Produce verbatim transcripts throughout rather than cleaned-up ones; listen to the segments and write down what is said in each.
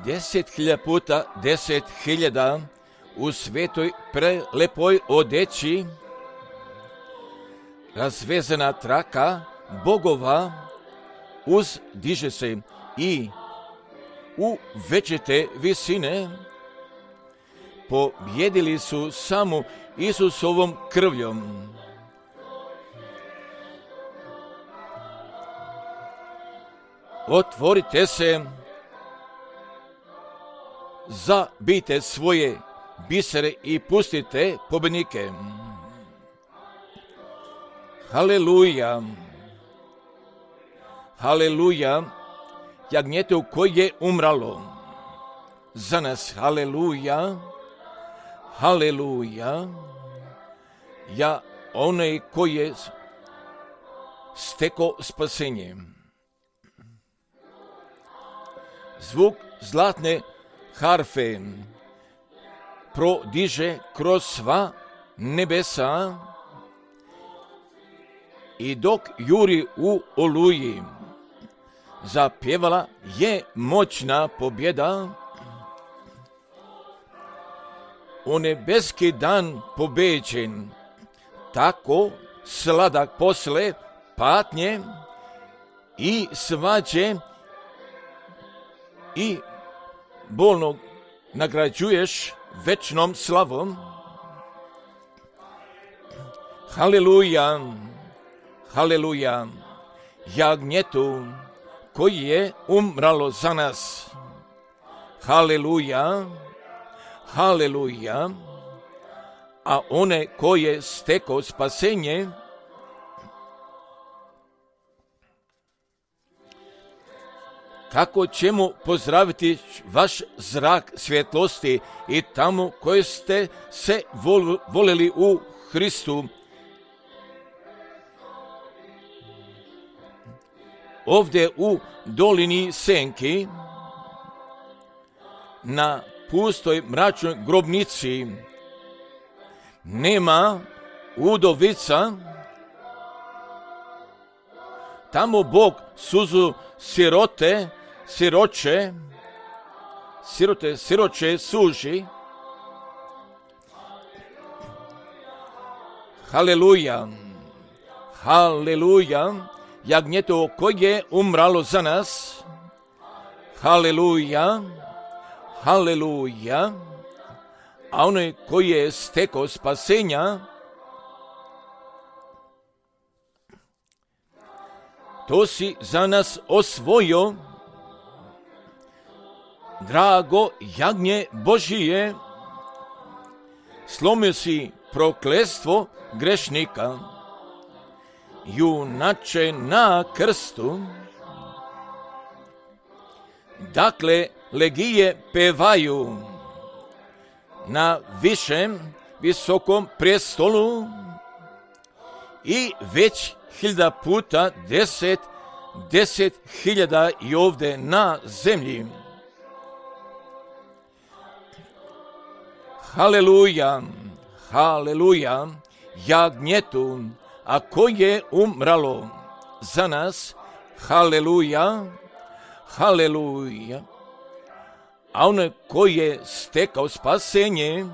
deset hiljada puta deset hiljada u svetoj prelepoj odeći, razvezana traka bogova uzdiže se i u večite visine pobjedili su samo Isusovom krvljom. Otvorite se, zabijte svoje bisere i pustite pobjednike. Haleluja, haleluja, jagnjete koje je umralo za nas. Haleluja, haleluja, ja onaj koji je stekao spasenje. Zvuk zlatne harfe prodiže kroz sva nebesa i dok juri u oluji, zapjevala je moćna pobjeda. O nebeski dan pobeđen, tako sladak posle patnje i svađe i bolnog nagrađuješ večnom slavom. Haleluja, haleluja, jagnjetu koji je umralo za nas. Haleluja, haleluja, a one koji je stekao spasenje, kako ćemo pozdraviti vaš zrak svjetlosti i tamo koje ste se vol, voleli u Hristu. Ovdje u dolini senki, na pustoj mračnoj grobnici, nema udovica, tamo Bog suzu sirote, siroče, sirote, siroče suži. Haleluja, haleluja, jagnjeto koje je umralo za nas. Haleluja, haleluja, a onaj koji je stekao spasenja, to si za nas osvojio, drago jagnje Božije, slomio si prokletstvo grešnika, junače na krstu. Dakle, legije pevaju na višem visokom prestolu i već hiljada puta deset, deset hiljada i ovdje na zemlji. Haleluja, haleluja, jagnjetu, a koje je umralo za nas. Haleluja, haleluja, a onaj koji je stekao spasenje,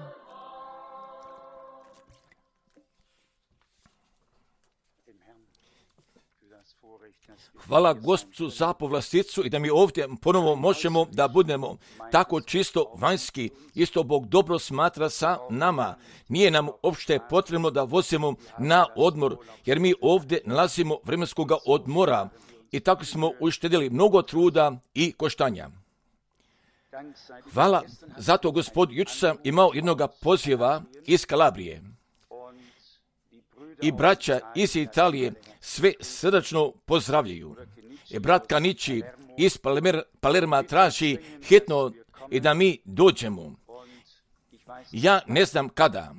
hvala Gospodu za povlasticu i da mi ovdje ponovo možemo da budemo tako čisto vanjski. Isto Bog dobro smatra sa nama. Nije nam uopšte potrebno da vozimo na odmor, jer mi ovdje nalazimo vremenskog odmora i tako smo uštedili mnogo truda i koštanja. Hvala, zato Gospod, jučer sam imao jednog poziva iz Kalabrije. I braća iz Italije sve srdačno pozdravljaju. I brat Kanići iz Palerma, Palerma traži hitno i da mi dođemo. Ja ne znam kada.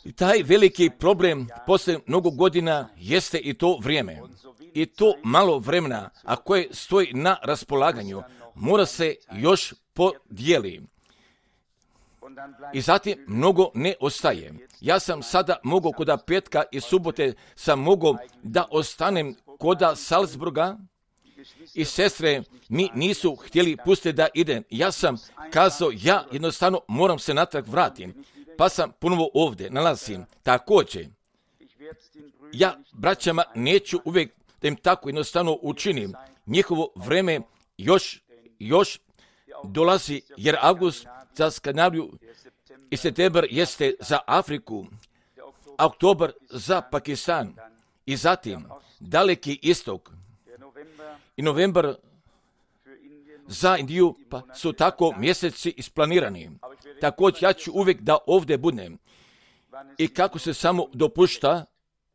I taj veliki problem posle mnogo godina jeste i to vrijeme. I to malo vremena, a koje stoji na raspolaganju, mora se još podijeli. I zatim mnogo ne ostaje. Ja sam sada mogao koda petka i subote sam mogao da ostanem koda Salzburga i sestre mi nisu htjeli pustiti da idem. Ja sam kazao, ja jednostavno moram se natrag vratim, pa sam ponovo ovdje nalazim. Također, ja braćama neću uvijek da im tako jednostavno učinim. Njihovo vreme još, još dolazi, jer avgust za Skandinaviju i septembar jeste za Afriku, a oktobar za Pakistan i zatim daleki istok i novembar za Indiju, pa su tako mjeseci isplanirani. Također ja ću uvijek da ovdje budem i kako se samo dopušta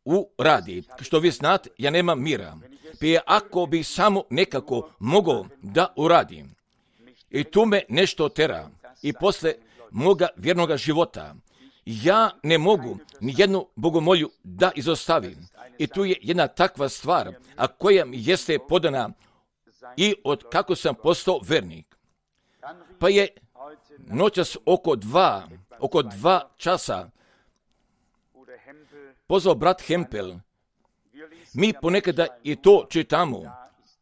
u radi. Što vi znate, ja nemam mira. Prije ako bi samo nekako mogao da uradim. I tu me nešto tera. I posle moga vjernoga života. Ja ne mogu ni jednu bogomolju da izostavim. I tu je jedna takva stvar, a koja mi jeste podana i od kako sam postao vernik. Pa je noćas oko dva, oko dva časa pozvao brat Hempel. Mi ponekada i to čitamo.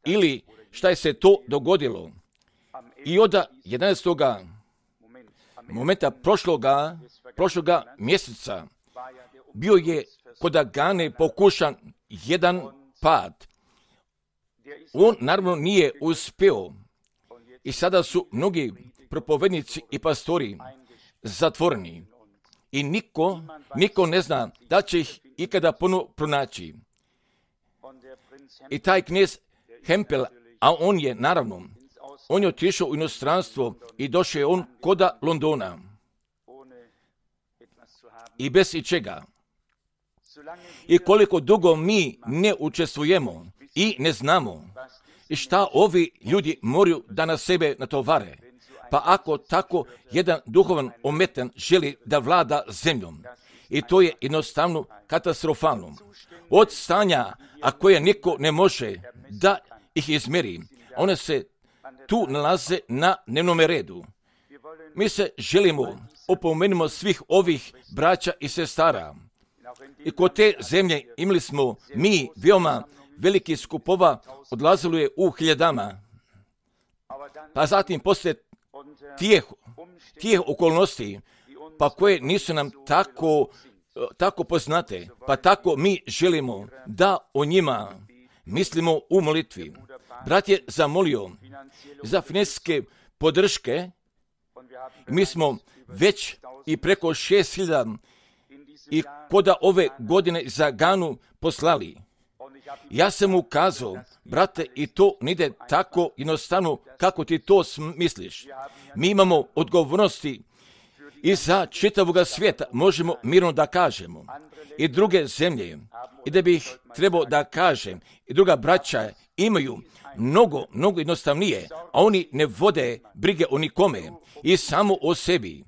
Ili šta je se to dogodilo. I od jedanaestog momenta prošloga, prošloga mjeseca bio je kod Agane pokušan jedan pad. On naravno nije uspio. I sada su mnogi propovednici i pastori zatvoreni. I niko, niko ne zna da će ih ikada ponovo pronaći. I taj knez Hempel, a on je naravno, on je otišao u inostranstvo i došao je on koda Londona. I bez ičega. I koliko dugo mi ne učestvujemo i ne znamo i šta ovi ljudi moraju da na sebe natovare. Pa ako tako jedan duhovan ometan želi da vlada zemljom, i to je jednostavno katastrofalno. Od stanja, a koje niko ne može da ih izmeri, one se tu nalaze na dnevnom redu. Mi se želimo opomenimo svih ovih braća i sestara. I kod te zemlje imali smo mi veoma veliki skupova, odlazilo je u hiljadama. Pa zatim poslije tijeh, tijeh okolnosti, pa koje nisu nam tako, tako poznate, pa tako mi želimo da o njima mislimo u molitvi. Brat je zamolio za financijske podrške. Mi smo već i preko šest hiljada i koda ove godine za Ganu poslali. Ja sam mu ukazao, brate, i to ne ide tako jednostavno kako ti to misliš. Mi imamo odgovornosti i za čitavoga svijeta, možemo mirno da kažemo. I druge zemlje, i da bih trebao da kažem, i druga braća imaju mnogo, mnogo jednostavnije, a oni ne vode brige o nikome i samo o sebi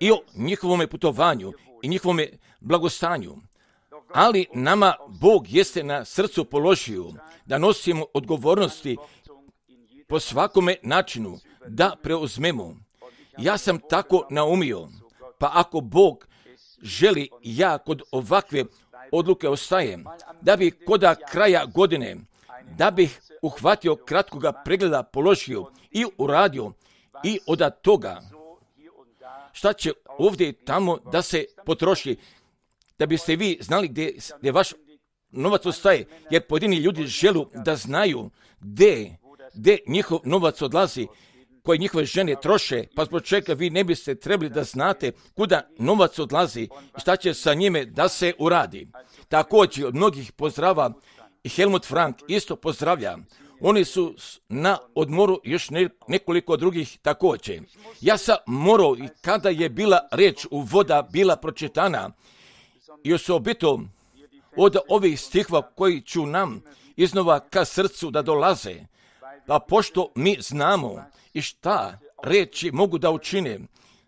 i o njihovome putovanju i njihovome blagostanju. Ali nama Bog jeste na srcu položio da nosimo odgovornosti po svakome načinu, da preuzmemo. Ja sam tako naumio, pa ako Bog želi, ja kod ovakve odluke ostajem, da bi koda kraja godine, da bih uhvatio kratkoga pregleda, položio i uradio i od toga šta će ovdje i tamo da se potroši, da biste vi znali gdje, gdje vaš novac ostaje, jer pojedini ljudi žele da znaju gdje, gdje njihov novac odlazi, koje njihove žene troše, pa zbog čega vi ne biste trebali da znate kuda novac odlazi i šta će sa njime da se uradi. Također od mnogih pozdrava i Helmut Frank isto pozdravlja. Oni su na odmoru još nekoliko drugih također. Ja sam morao i kada je bila reč u voda bila pročitana i osobito od ovih stihova koji ću nam iznova ka srcu da dolaze, pa pošto mi znamo i šta reči mogu da učine,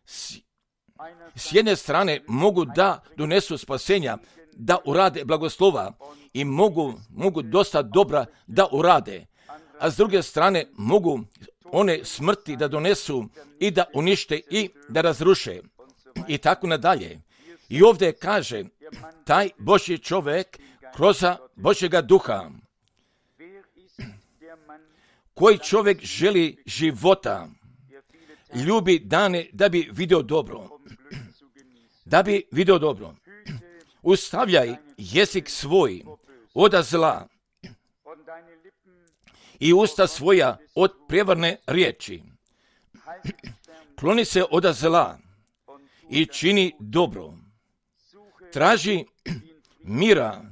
s, s jedne strane mogu da donesu spasenja, da urade blagoslova i mogu, mogu dosta dobra da urade, a s druge strane mogu one smrti da donesu i da unište i da razruše i tako nadalje. I ovdje kaže taj Božji čovjek kroz Božjega duha. koji čovjek želi života, ljubi dane da bi vidio dobro. Da bi vidio dobro. Ustavljaj jezik svoj od zla i usta svoja od prevarne riječi. Kloni se od zla i čini dobro. Traži mira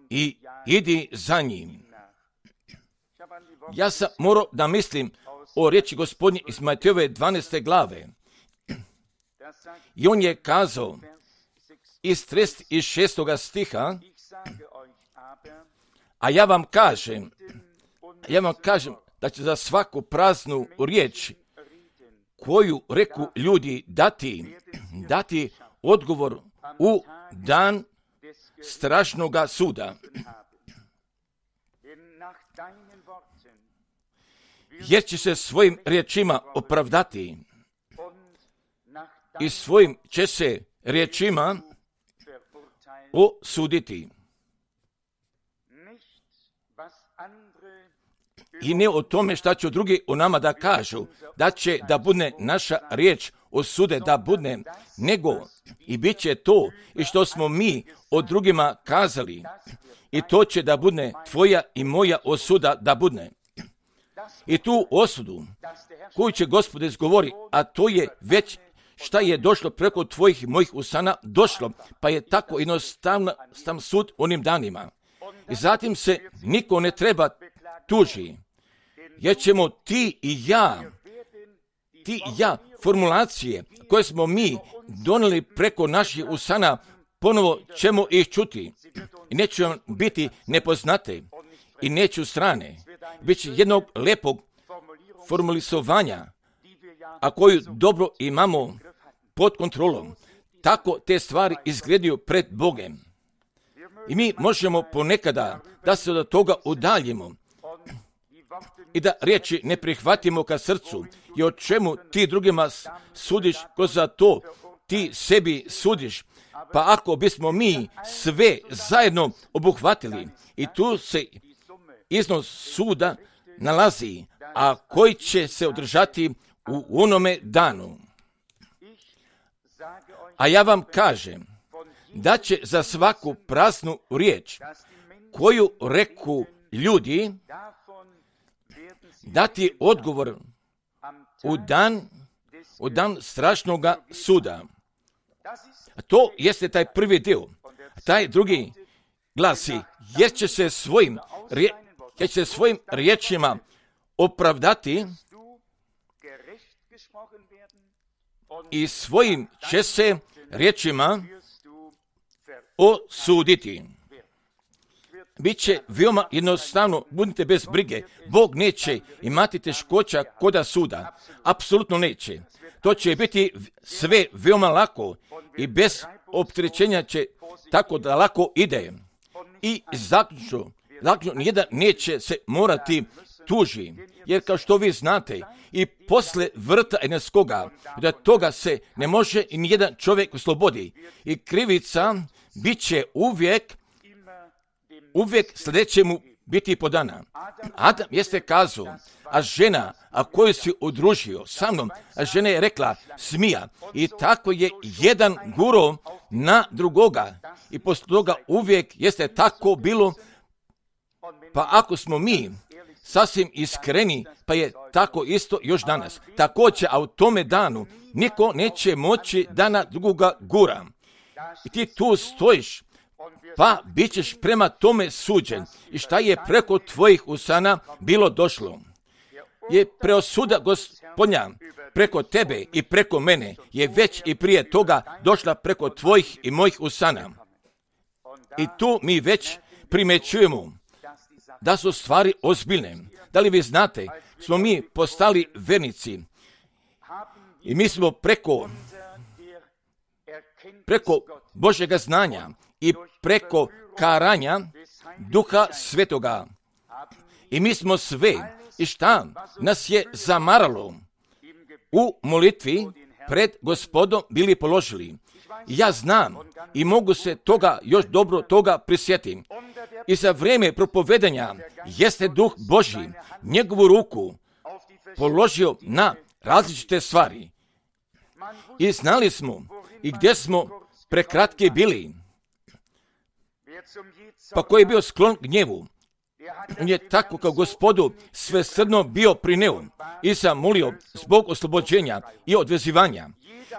i idi za njim. Ja sam morao da mislim o riječi Gospodnje iz Matejove dvanaeste glave. I on je kazao iz trideset šestog stiha, a ja vam kažem, ja vam kažem da će za svaku praznu riječ koju reku ljudi dati, dati odgovor u dan strašnoga suda. Jer će se svojim riječima opravdati i svojim će se riječima osuditi. I ne o tome šta će drugi o nama da kažu, da će da bude naša riječ osude da bude, nego i bit će to i što smo mi o drugima kazali. I to će da bude tvoja i moja osuda da bude. I tu osudu koju će Gospod izgovori, a to je već šta je došlo preko tvojih i mojih usana, došlo, pa je tako jednostavno sam sud onim danima. I zatim se niko ne treba tuži, jer ćemo ti i ja, ti i ja, formulacije koje smo mi donijeli preko naših usana, ponovo ćemo ih čuti. I neće vam biti nepoznate i neću strane. Biće jednog lepog formulisovanja, a koju dobro imamo pod kontrolom. Tako te stvari izgledaju pred Bogem. I mi možemo ponekada da se od toga udaljimo i da riječi ne prihvatimo ka srcu. I o čemu ti drugima sudiš, ko za to ti sebi sudiš. Pa ako bismo mi sve zajedno obuhvatili i tu se iznos suda nalazi, a koji će se održati u onome danu. A ja vam kažem da će za svaku praznu riječ koju reku ljudi dati odgovor u dan, u dan strašnoga suda. A to jeste taj prvi dio. Taj drugi glasi, jer će se svojim, rije, jer će se svojim riječima opravdati i svojim će se riječima osuditi. Biće veoma jednostavno, budite bez brige. Bog neće imati teškoća koda suda. Apsolutno neće. To će biti sve veoma lako i bez opterećenja će tako da lako ide. I zaključno, zaključno nijedan neće se morati tuži. Jer kao što vi znate, i posle vrta eneskoga, da toga se ne može i nijedan čovjek oslobodi. I krivica bit će uvijek, uvijek sljedećemu biti podana. Adam jeste kazao, a žena, a koju si udružio sa mnom, a žena je rekla smija. I tako je jedan guro na drugoga. I posle toga uvijek jeste tako bilo. Pa ako smo mi sasvim iskreni, pa je tako isto još danas. Također, a u tome danu niko neće moći da na drugoga gura. I ti tu stojiš, pa bit ćeš prema tome suđen. I šta je preko tvojih usana bilo došlo? Je preosuda Gospodnja preko tebe i preko mene je već i prije toga došla preko tvojih i mojih usana. I tu mi već primećujemo da su stvari ozbiljne. Da li vi znate, smo mi postali vernici i mi smo preko, preko Božjega znanja i preko karanja Duha Svetoga. I mi smo sve, i šta nas je zamaralo, u molitvi pred Gospodom bili položili. Ja znam i mogu se toga još dobro toga prisjetiti. I za vrijeme propovedanja jeste Duh Božji njegovu ruku položio na različite stvari. I znali smo i gdje smo prekratki bili. Pa ko je bio sklon gnjevu, on je tako kao Gospodu svesrdno bio prineo i zamolio zbog oslobođenja i odvezivanja.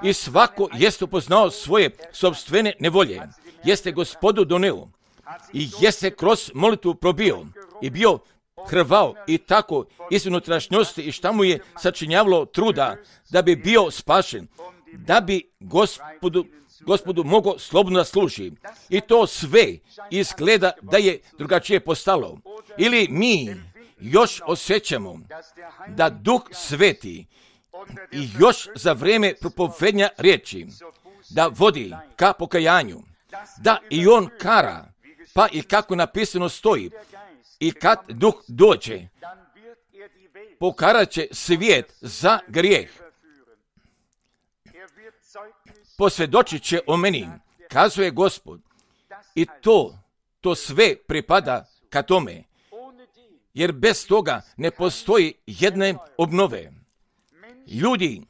I svako jeste upoznao svoje sopstvene nevolje, jeste Gospodu doneo i jeste kroz molitvu probio i bio hrvao i tako iz unutrašnjosti i šta mu je sačinjavalo truda da bi bio spašen, da bi Gospodu, Gospodu mogao slobodno da služi. I to sve izgleda da je drugačije postalo. Ili mi još osjećamo da Duh Sveti i još za vrijeme propovednja riječi da vodi ka pokajanju, da i on kara, pa i kako napisano stoji, i kad Duh dođe, pokarat će svijet za grijeh. Posvjedočit će o meni, kazuje Gospod. I to, to sve pripada ka tome, jer bez toga ne postoji jedne obnove. Ljudi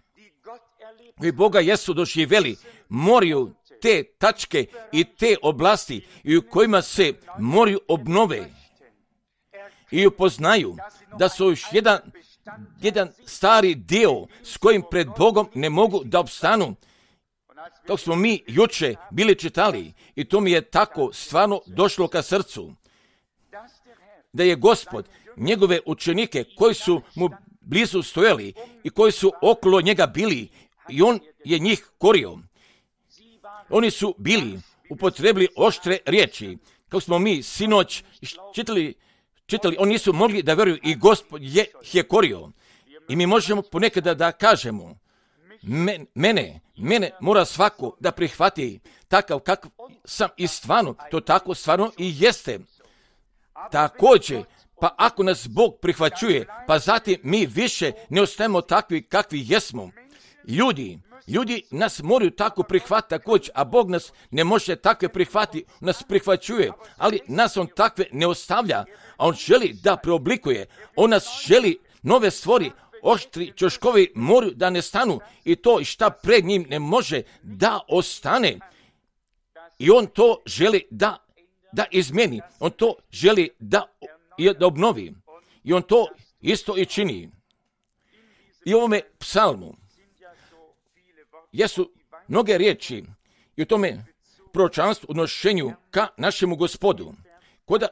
koji Boga jesu doživjeli moraju te tačke i te oblasti i u kojima se moraju obnove i upoznaju da su još jedan, jedan stari dio s kojim pred Bogom ne mogu da opstanu. Dok smo mi juče bili čitali i to mi je tako stvarno došlo ka srcu, da je Gospod njegove učenike koji su mu blizu stojali i koji su okolo njega bili i on je njih korio. Oni su bili upotrebili oštre riječi. Kako smo mi sinoć čitali, čitali, oni nisu mogli da vjeruju i Gospod je, je korio. I mi možemo ponekad da, da kažemo, men, mene, mene mora svako da prihvati takav kakav sam i stvarno, to tako stvarno i jeste. Također, pa ako nas Bog prihvaćuje, pa zatim mi više ne ostajemo takvi kakvi jesmo. Ljudi, ljudi nas moraju tako prihvatiti također, a Bog nas ne može takve prihvatiti, nas prihvaćuje, ali nas on takve ne ostavlja, a on želi da preoblikuje, on nas želi nove stvori, oštri ćoškovi moraju da ne stanu i to šta pred njim ne može da ostane. I on to želi da, da izmeni, on to želi da, da obnovi i on to isto i čini. I u ovome psalmu jesu mnoge riječi i u tome proročanstvu u odnošenju ka našemu Gospodu. Kod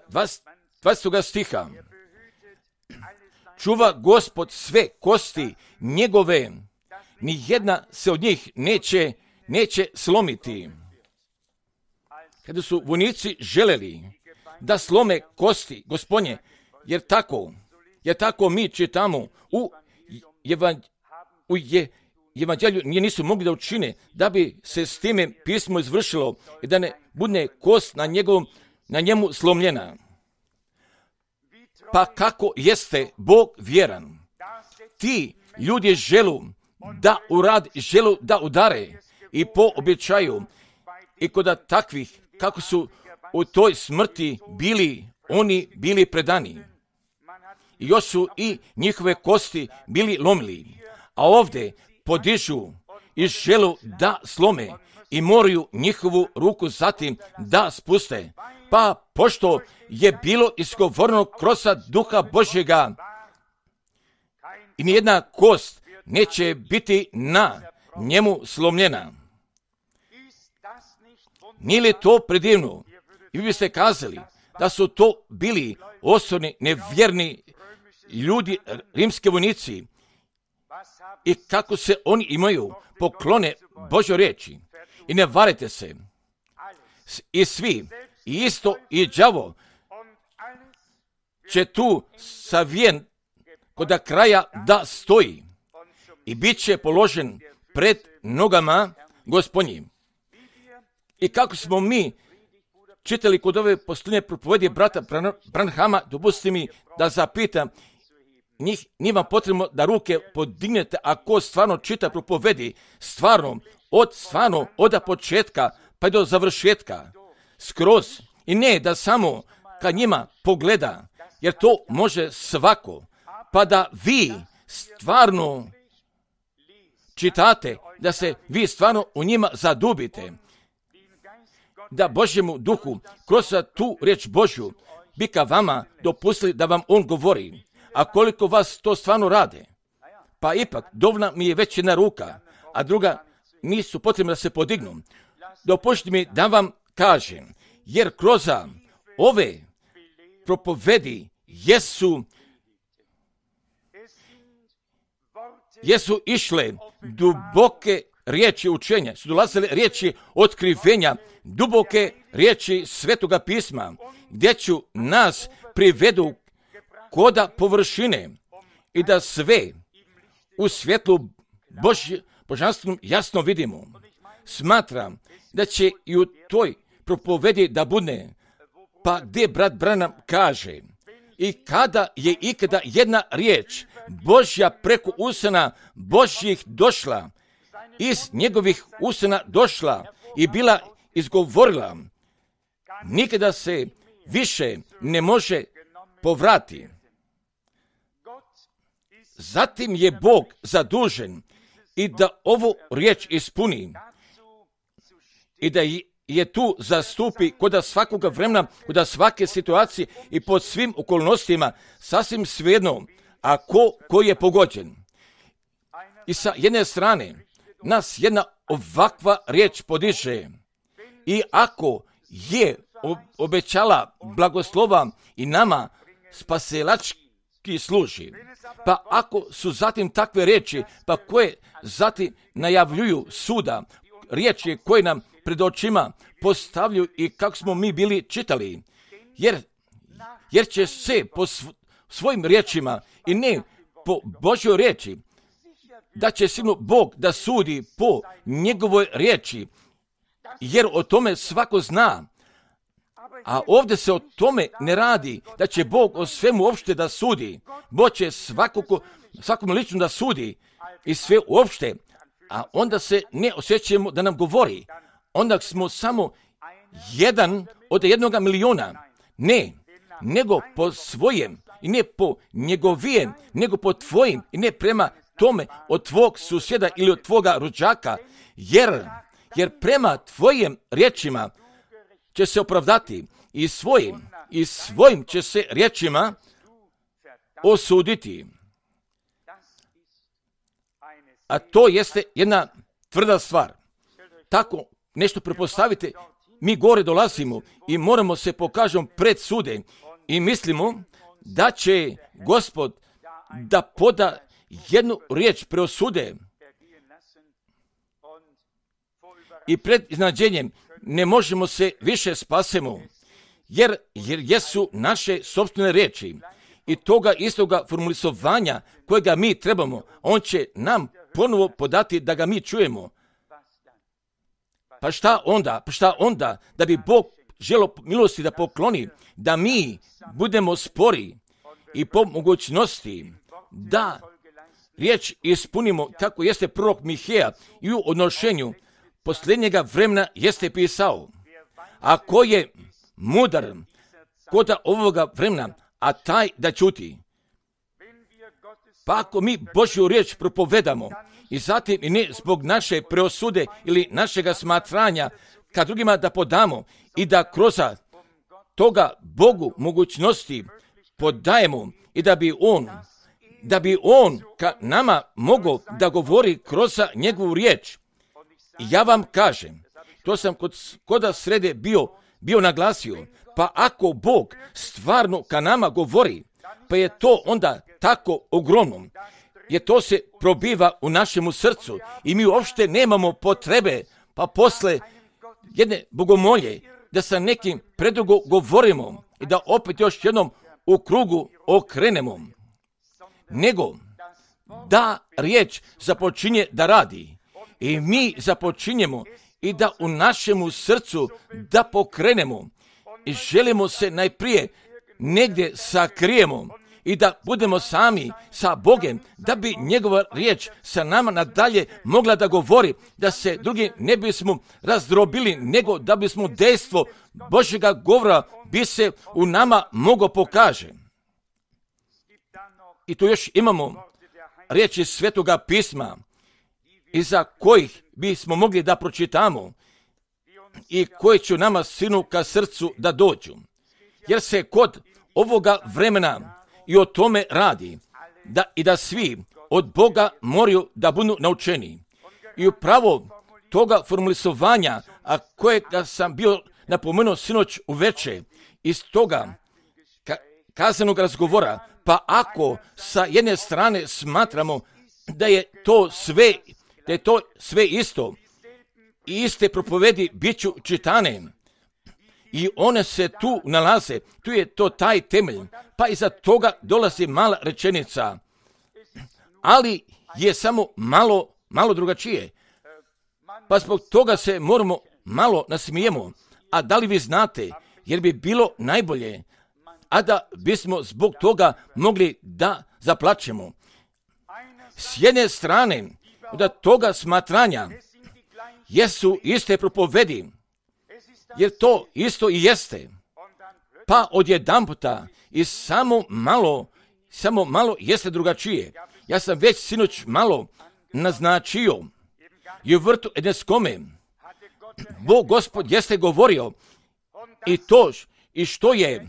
dvadesetog stiha, čuva Gospod sve kosti njegove, ni jedna se od njih neće, neće slomiti. Kada su vojnici želeli da slome kosti Gospodnje, jer tako, jer tako mi čitamo u, evan, u je, evanđelju nije nisu mogli da učine da bi se s time pismo izvršilo i da ne bude kost na, njegovom, na njemu slomljena. Pa kako jeste Bog vjeran? Ti ljudi želu da urad, želu da udare i po običaju i kod takvih kako su u toj smrti bili oni bili predani. I još su i njihove kosti bili lomili. A ovdje podižu i želu da slome i moraju njihovu ruku zatim da spuste. Pa pošto je bilo izgovoreno kroz Duha Božjega i nijedna kost neće biti na njemu slomljena. Nije li to predivno? I vi biste kazali da su to bili osorni, nevjerni ljudi, rimski vojnici, i kako se oni imaju poklone Božoj riječi. I ne varite se. I svi, i isto i đavo, će tu savijen kod kraja da stoji i bit će položen pred nogama Gospodnjim. I kako smo mi čitali kod ove posljednje propovedi brata Branhama, dopustite mi da zapitam, njih nije vam potrebno da ruke podignete ako stvarno čita propovedi, stvarno, od stvarno, od početka pa do završetka, skroz. I ne da samo ka njima pogleda, jer to može svako, pa da vi stvarno čitate, da se vi stvarno u njima zadubite, da Božjemu duhu kroz tu riječ Božju bi ka vama dopustili da vam on govori. A koliko vas to stvarno rade? Pa ipak, dovoljna mi je već jedna ruka, a druga nisu potrebne da se podignu. Dopustite mi da vam kažem, jer kroz ove propovedi jesu jesu išle duboke riječi učenja, su dolazile riječi otkrivenja, duboke riječi Svetoga pisma, gdje ću nas privedu koda površine i da sve u svjetlu Božje, božanstvenom jasno vidimo. Smatram da će i u toj propovedi da bude, pa gdje brat Branham kaže, i kada je ikada jedna riječ Božja preko usana Božjih došla, iz njegovih usana došla i bila izgovorila, nikada se više ne može povrati. Zatim je Bog zadužen i da ovu riječ ispuni i da je tu zastupi kod svakoga vremena, kod svake situacije i pod svim okolnostima, sasvim svejedno, a ko, ko je pogođen. I sa jedne strane nas jedna ovakva riječ podiže i ako je obećala blagoslova i nama spasilački služi, pa ako su zatim takve riječi, pa koje zatim najavljuju suda, riječi koje nam pred očima postavljaju i kako smo mi bili čitali, jer, jer će se po svojim riječima i ne po Božjoj riječi, da će sigurno Bog da sudi po njegovoj riječi, jer o tome svako zna. A ovdje se o tome ne radi, da će Bog o svemu uopšte da sudi. Bog će svakako, svakom lično da sudi i sve uopšte, a onda se ne osjećamo da nam govori. Onda smo samo jedan od jednoga miliona. Ne, nego po svojem i ne po njegovijem, nego po tvojim i ne prema tome od tvog susjeda ili od tvoga rođaka, jer, jer prema tvojim riječima će se opravdati i svojim, i svojim će se riječima osuditi. A to jeste jedna tvrda stvar. Tako nešto prepostavite, mi gore dolazimo i moramo se pokažemo pred sude i mislimo da će Gospod da poda jednu riječ preosude i pred iznadženjem ne možemo se više spasemo, jer, jer jesu naše sopstvene riječi i toga istoga formulisovanja kojega mi trebamo, on će nam ponovo podati da ga mi čujemo. Pa šta onda? Pa šta onda? Da bi Bog želo milosti da pokloni, da mi budemo spori i po mogućnosti da riječ ispunimo kako jeste prorok Miheja i u odnošenju posljednjega vremena jeste pisao. A ko je mudar kod ovoga vremena, a taj da čuti. Pa ako mi Božju riječ propovedamo i zatim i ne zbog naše preosude ili našega smatranja ka drugima da podamo i da kroz toga Bogu mogućnosti podajemo i da bi On, da bi On ka nama mogao da govori kroz njegovu riječ. I ja vam kažem, to sam kod, koda srede bio, bio naglasio, pa ako Bog stvarno ka nama govori, pa je to onda tako ogromno, jer to se probiva u našemu srcu i mi uopšte nemamo potrebe, pa posle jedne bogomolje, da sa nekim predugo govorimo i da opet još jednom u krugu okrenemo, nego da riječ započinje da radi i mi započinjemo i da u našemu srcu da pokrenemo i želimo se najprije negdje sakrijemo i da budemo sami sa Bogom, da bi njegova riječ sa nama nadalje mogla da govori, da se drugi ne bismo razdrobili, nego da bismo dejstvo Božjega govora bi se u nama moglo pokaže. I tu još imamo riječi Svetoga pisma, iza kojih bismo mogli da pročitamo i koji će nama sinu ka srcu da dođu. Jer se kod ovoga vremena i o tome radi, da i da svi od Boga moraju da budu naučeni. I upravo toga formulisovanja, a kojega sam bio napomenuo sinoć uveče, iz toga ka- kazanog razgovora, pa ako sa jedne strane smatramo da je to sve, da je to sve isto, i iste propovedi bit ću čitane, i one se tu nalaze, tu je to taj temelj, pa iza toga dolazi mala rečenica, ali je samo malo, malo drugačije. Pa zbog toga se moramo malo nasmijemo. A da li vi znate, jer bi bilo najbolje, a da bismo zbog toga mogli da zaplačemo. S jedne strane, od toga smatranja, jesu iste propovedi, jer to isto i jeste. Pa odjedanputa i samo malo, samo malo jeste drugačije. Ja sam već sinoć malo naznačio i u vrtu Edenskome Bog Gospod jeste govorio i to i što je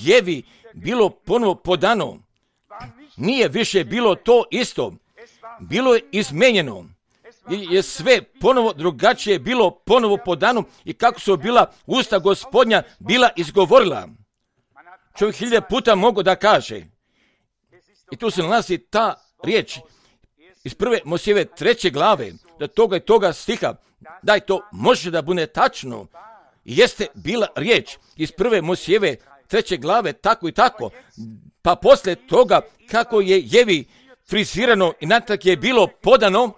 Jevi bilo ponovo podano, nije više bilo to isto, bilo je izmenjeno. I je sve ponovo drugačije bilo ponovo podano i kako su bila usta Gospodnja bila izgovorila. Čovjek hiljade puta mogu da kaže. I tu se nalazi ta riječ iz prve Mojsijeve treće glave, da toga i toga stiha, da to može da bude tačno. I jeste bila riječ iz prve Mojsijeve treće glave, tako i tako. Pa poslije toga kako je Jevi frizirano i natak je bilo podano,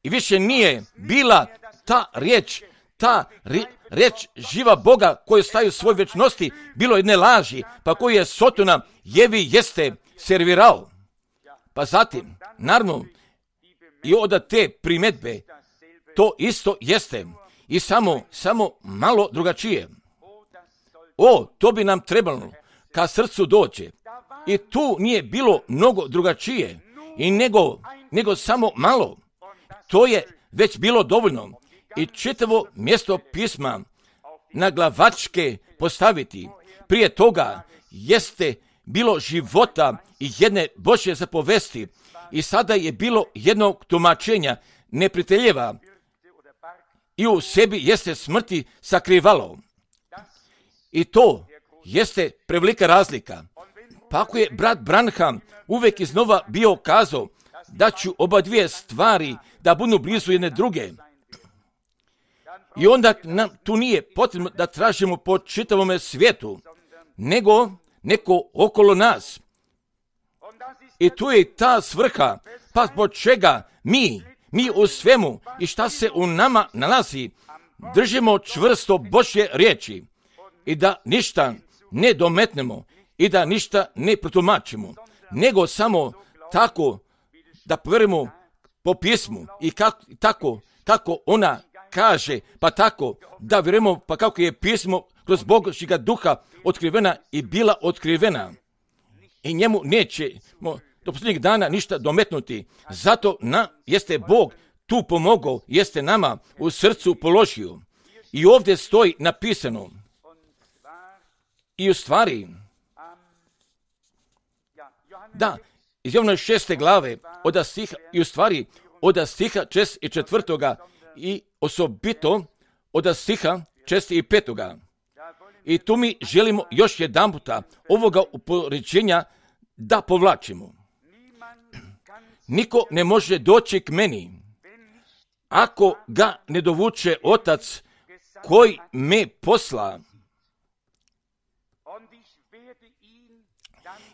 i više nije bila ta riječ, ta ri, riječ živa Boga koju staje u svoj večnosti, bilo jedne laži, pa koju je Sotona Jevi jeste servirao. Pa zatim, naravno, i od te primjedbe, to isto jeste, i samo, samo malo drugačije. O, to bi nam trebalo, ka srcu dođe. I tu nije bilo mnogo drugačije, i nego, nego samo malo. To je već bilo dovoljno i čitavo mjesto pisma na glavačke postaviti. Prije toga jeste bilo života i jedne Božje zapovesti i sada je bilo jednog tumačenja neprijateljeva i u sebi jeste smrti sakrivalo. I to jeste prevelika razlika. Pa ako je brat Branham uvijek iznova bio kazao da ću oba dvije stvari da budu blizu jedne druge. I onda nam tu nije potrebno da tražimo po čitavome svijetu, nego neko okolo nas. I tu je ta svrha, pa zbog čega mi, mi u svemu i šta se u nama nalazi, držimo čvrsto Božje riječi i da ništa ne dometnemo i da ništa ne protumačimo, nego samo tako da povjerimo po pismu i kako, tako kako ona kaže, pa tako da vjerujemo pa kako je pismo kroz Božjega duha otkrivena i bila otkrivena. I njemu nećemo do posljednjeg dana ništa dometnuti. Zato na, jeste Bog tu pomogao, jeste nama u srcu položio. I ovdje stoji napisano. I u stvari, da, iz Jovana šeste glave, od stiha, i u stvari, od stiha čest i četvrtoga i osobito od stiha čest i petoga. I tu mi želimo još jedan puta ovoga upoređenja da povlačimo. Niko ne može doći k meni ako ga ne dovuče Otac koji me posla.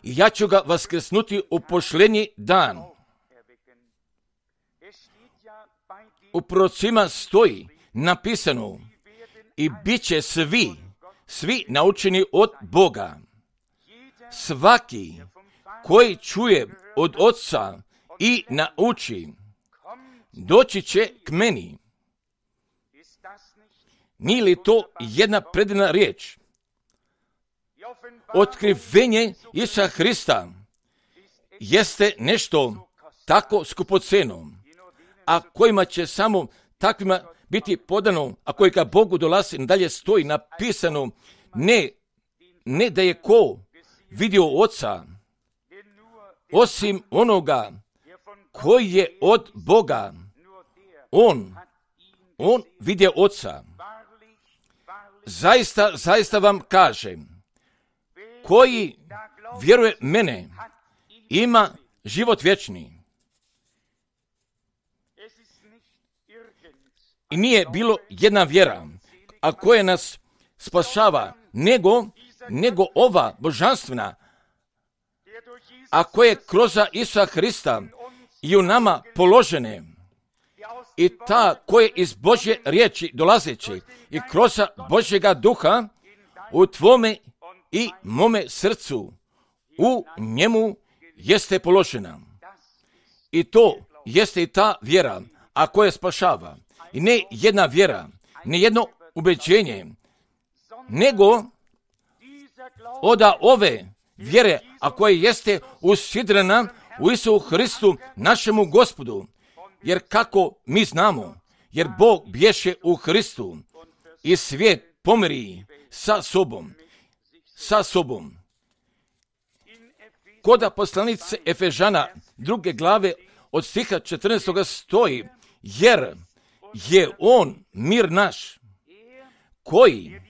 I ja ću ga vaskrsnuti u pošljenji dan. U prorocima stoji napisano i bit će svi, svi naučeni od Boga. Svaki koji čuje od Oca i nauči, doći će k meni. Nije li to jedna predivna riječ? Otkrivenje Isusa Hrista jeste nešto tako skupoceno, a kojima će samo takvima biti podano, a koji ka Bogu dolazi, dalje stoji napisano, ne, ne da je ko vidio Oca, osim onoga koji je od Boga. On, on vidio Oca. Zaista, zaista vam kažem, koji vjeruje mene, ima život vječni. I nije bilo jedna vjera, a koja nas spašava, nego, nego ova božanstvena, a koja je kroz Isusa Hrista i u nama položene, i ta koja iz Božje riječi dolazeći i kroz Božjega duha u tvome i mome srcu, u njemu jeste položena. I to jeste i ta vjera, a koja spašava. I ne jedna vjera, ne jedno ubeđenje, nego od ove vjere, a koja jeste usidrena u Isusu Hristu, našemu Gospodu. Jer kako mi znamo, jer Bog bješe u Hristu i svijet pomiri sa sobom, sa sobom. Koda poslanice Efežana druge glave od stiha četrnaestog stoji, jer je on mir naš, koji,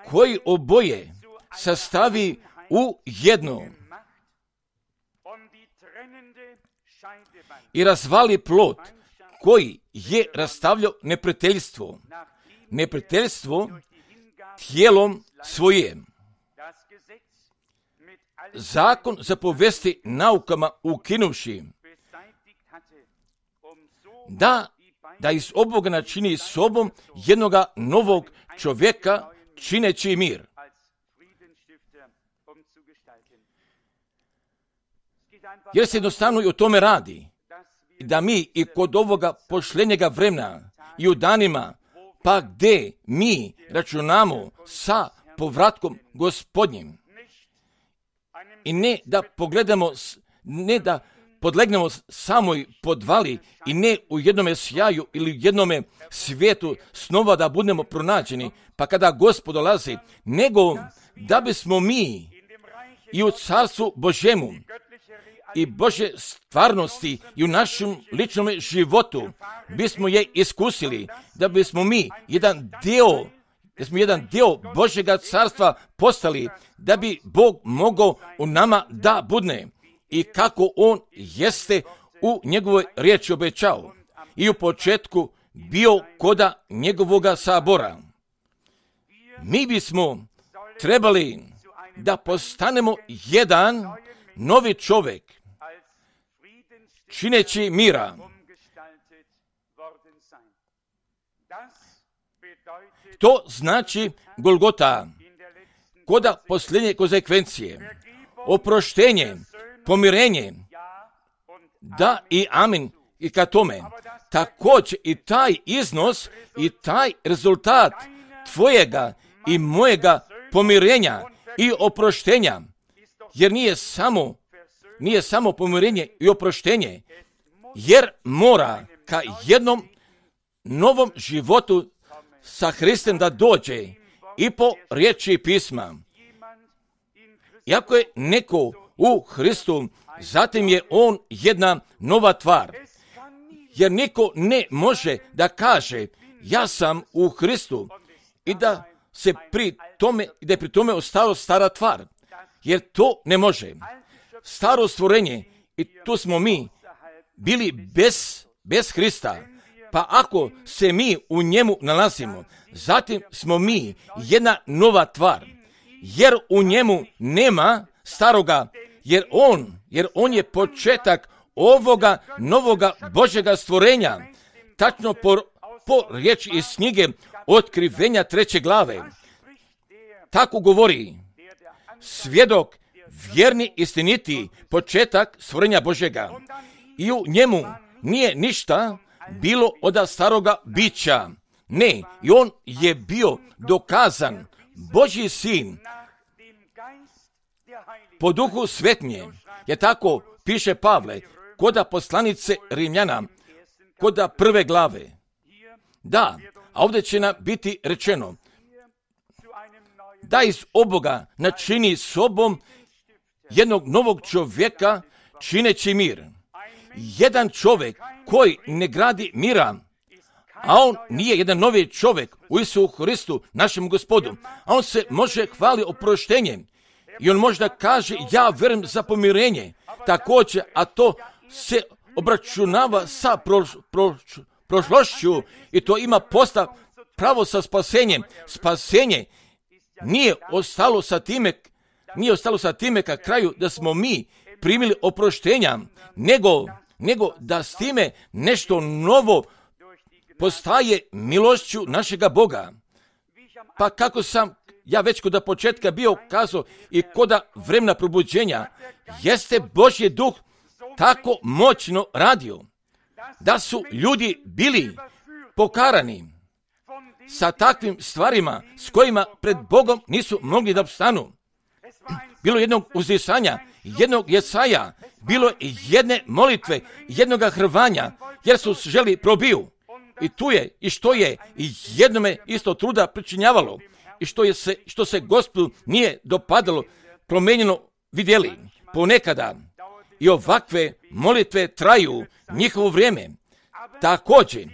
koji oboje sastavi u jedno i razvali plot koji je rastavljao neprijateljstvo, neprijateljstvo tijelom svojim. Zakon zapovesti naukama ukinuvši, da, da iz oboga načini sobom jednoga novog čovjeka čineći mir. Jer se jednostavno i o tome radi, da mi i kod ovoga pošljenjega vremena i u danima, pa gdje mi računamo sa povratkom Gospodnjim, i ne da pogledamo, ne da podlegnemo samoj podvali i ne u jednome sjaju ili u jednome svijetu snova da budemo pronađeni, pa kada Gospod dolazi, nego da bismo mi i u carstvu Božjemu i Božje stvarnosti i u našem ličnom životu bismo je iskusili, da bismo mi jedan dio, da smo jedan dio Božjega carstva postali, da bi Bog mogao u nama da budne i kako On jeste u njegovoj riječi obećao i u početku bio koda njegovoga sabora. Mi bismo trebali da postanemo jedan novi čovjek, čineći mira. To znači Golgota, koda posljednje konsekvencije, oproštenje, pomirenje, da i amin i ka tome. Također i taj iznos i taj rezultat tvojega i mojega pomirenja i oproštenja, jer nije samo, nije samo pomirenje i oproštenje, jer mora ka jednom novom životu sa Hristom da dođe i po riječi pisma. Iako je neko u Hristu, zatim je on jedna nova tvar. Jer niko ne može da kaže ja sam u Hristu i da se pri tome, da je pri tome ostalo stara tvar. Jer to ne može. Staro stvorenje, i tu smo mi bili bez, bez Hrista. Pa ako se mi u njemu nalazimo, zatim smo mi jedna nova tvar. Jer u njemu nema staroga, jer on, jer on je početak ovoga novoga Božjega stvorenja. Tačno po, po riječi iz knjige Otkrivenja treće glave. Tako govori svjedok vjerni, istiniti početak stvorenja Božjega. I u njemu nije ništa bilo od staroga bića. Ne, i on je bio dokazan Božji sin po duhu svetnje. Je tako piše Pavle, koda poslanice Rimljana, koda prve glave. Da, a ovdje će nam biti rečeno da iz oboga načini sobom jednog novog čovjeka čineći mir. Jedan čovjek koji ne gradi mira, a on nije jedan novi čovjek u Isusu Hristu, našem Gospodu, a on se može hvali oproštenjem i on možda kaže ja vjerujem za pomirenje, također, a to se obračunava sa proš, proš, prošlošću i to ima postav pravo sa spasenjem. Spasenje nije ostalo sa time, nije ostalo sa time ka kraju da smo mi primili oproštenja, nego, nego da s time nešto novo postaje milošću našega Boga. Pa kako sam ja već kod početka bio kazao i kod vremena probuđenja, jeste Božji duh tako moćno radio, da su ljudi bili pokarani sa takvim stvarima s kojima pred Bogom nisu mogli da opstanu. Bilo jednog uzdisanja, jednog Jesaja, bilo jedne molitve, jednog hrvanja, jer su želi probiju. I tu je, i što je, i jednome isto truda pričinjavalo, i što, je se, što se Gospodu nije dopadalo, promenjeno vidjeli. Ponekada i ovakve molitve traju njihovo vrijeme. Također,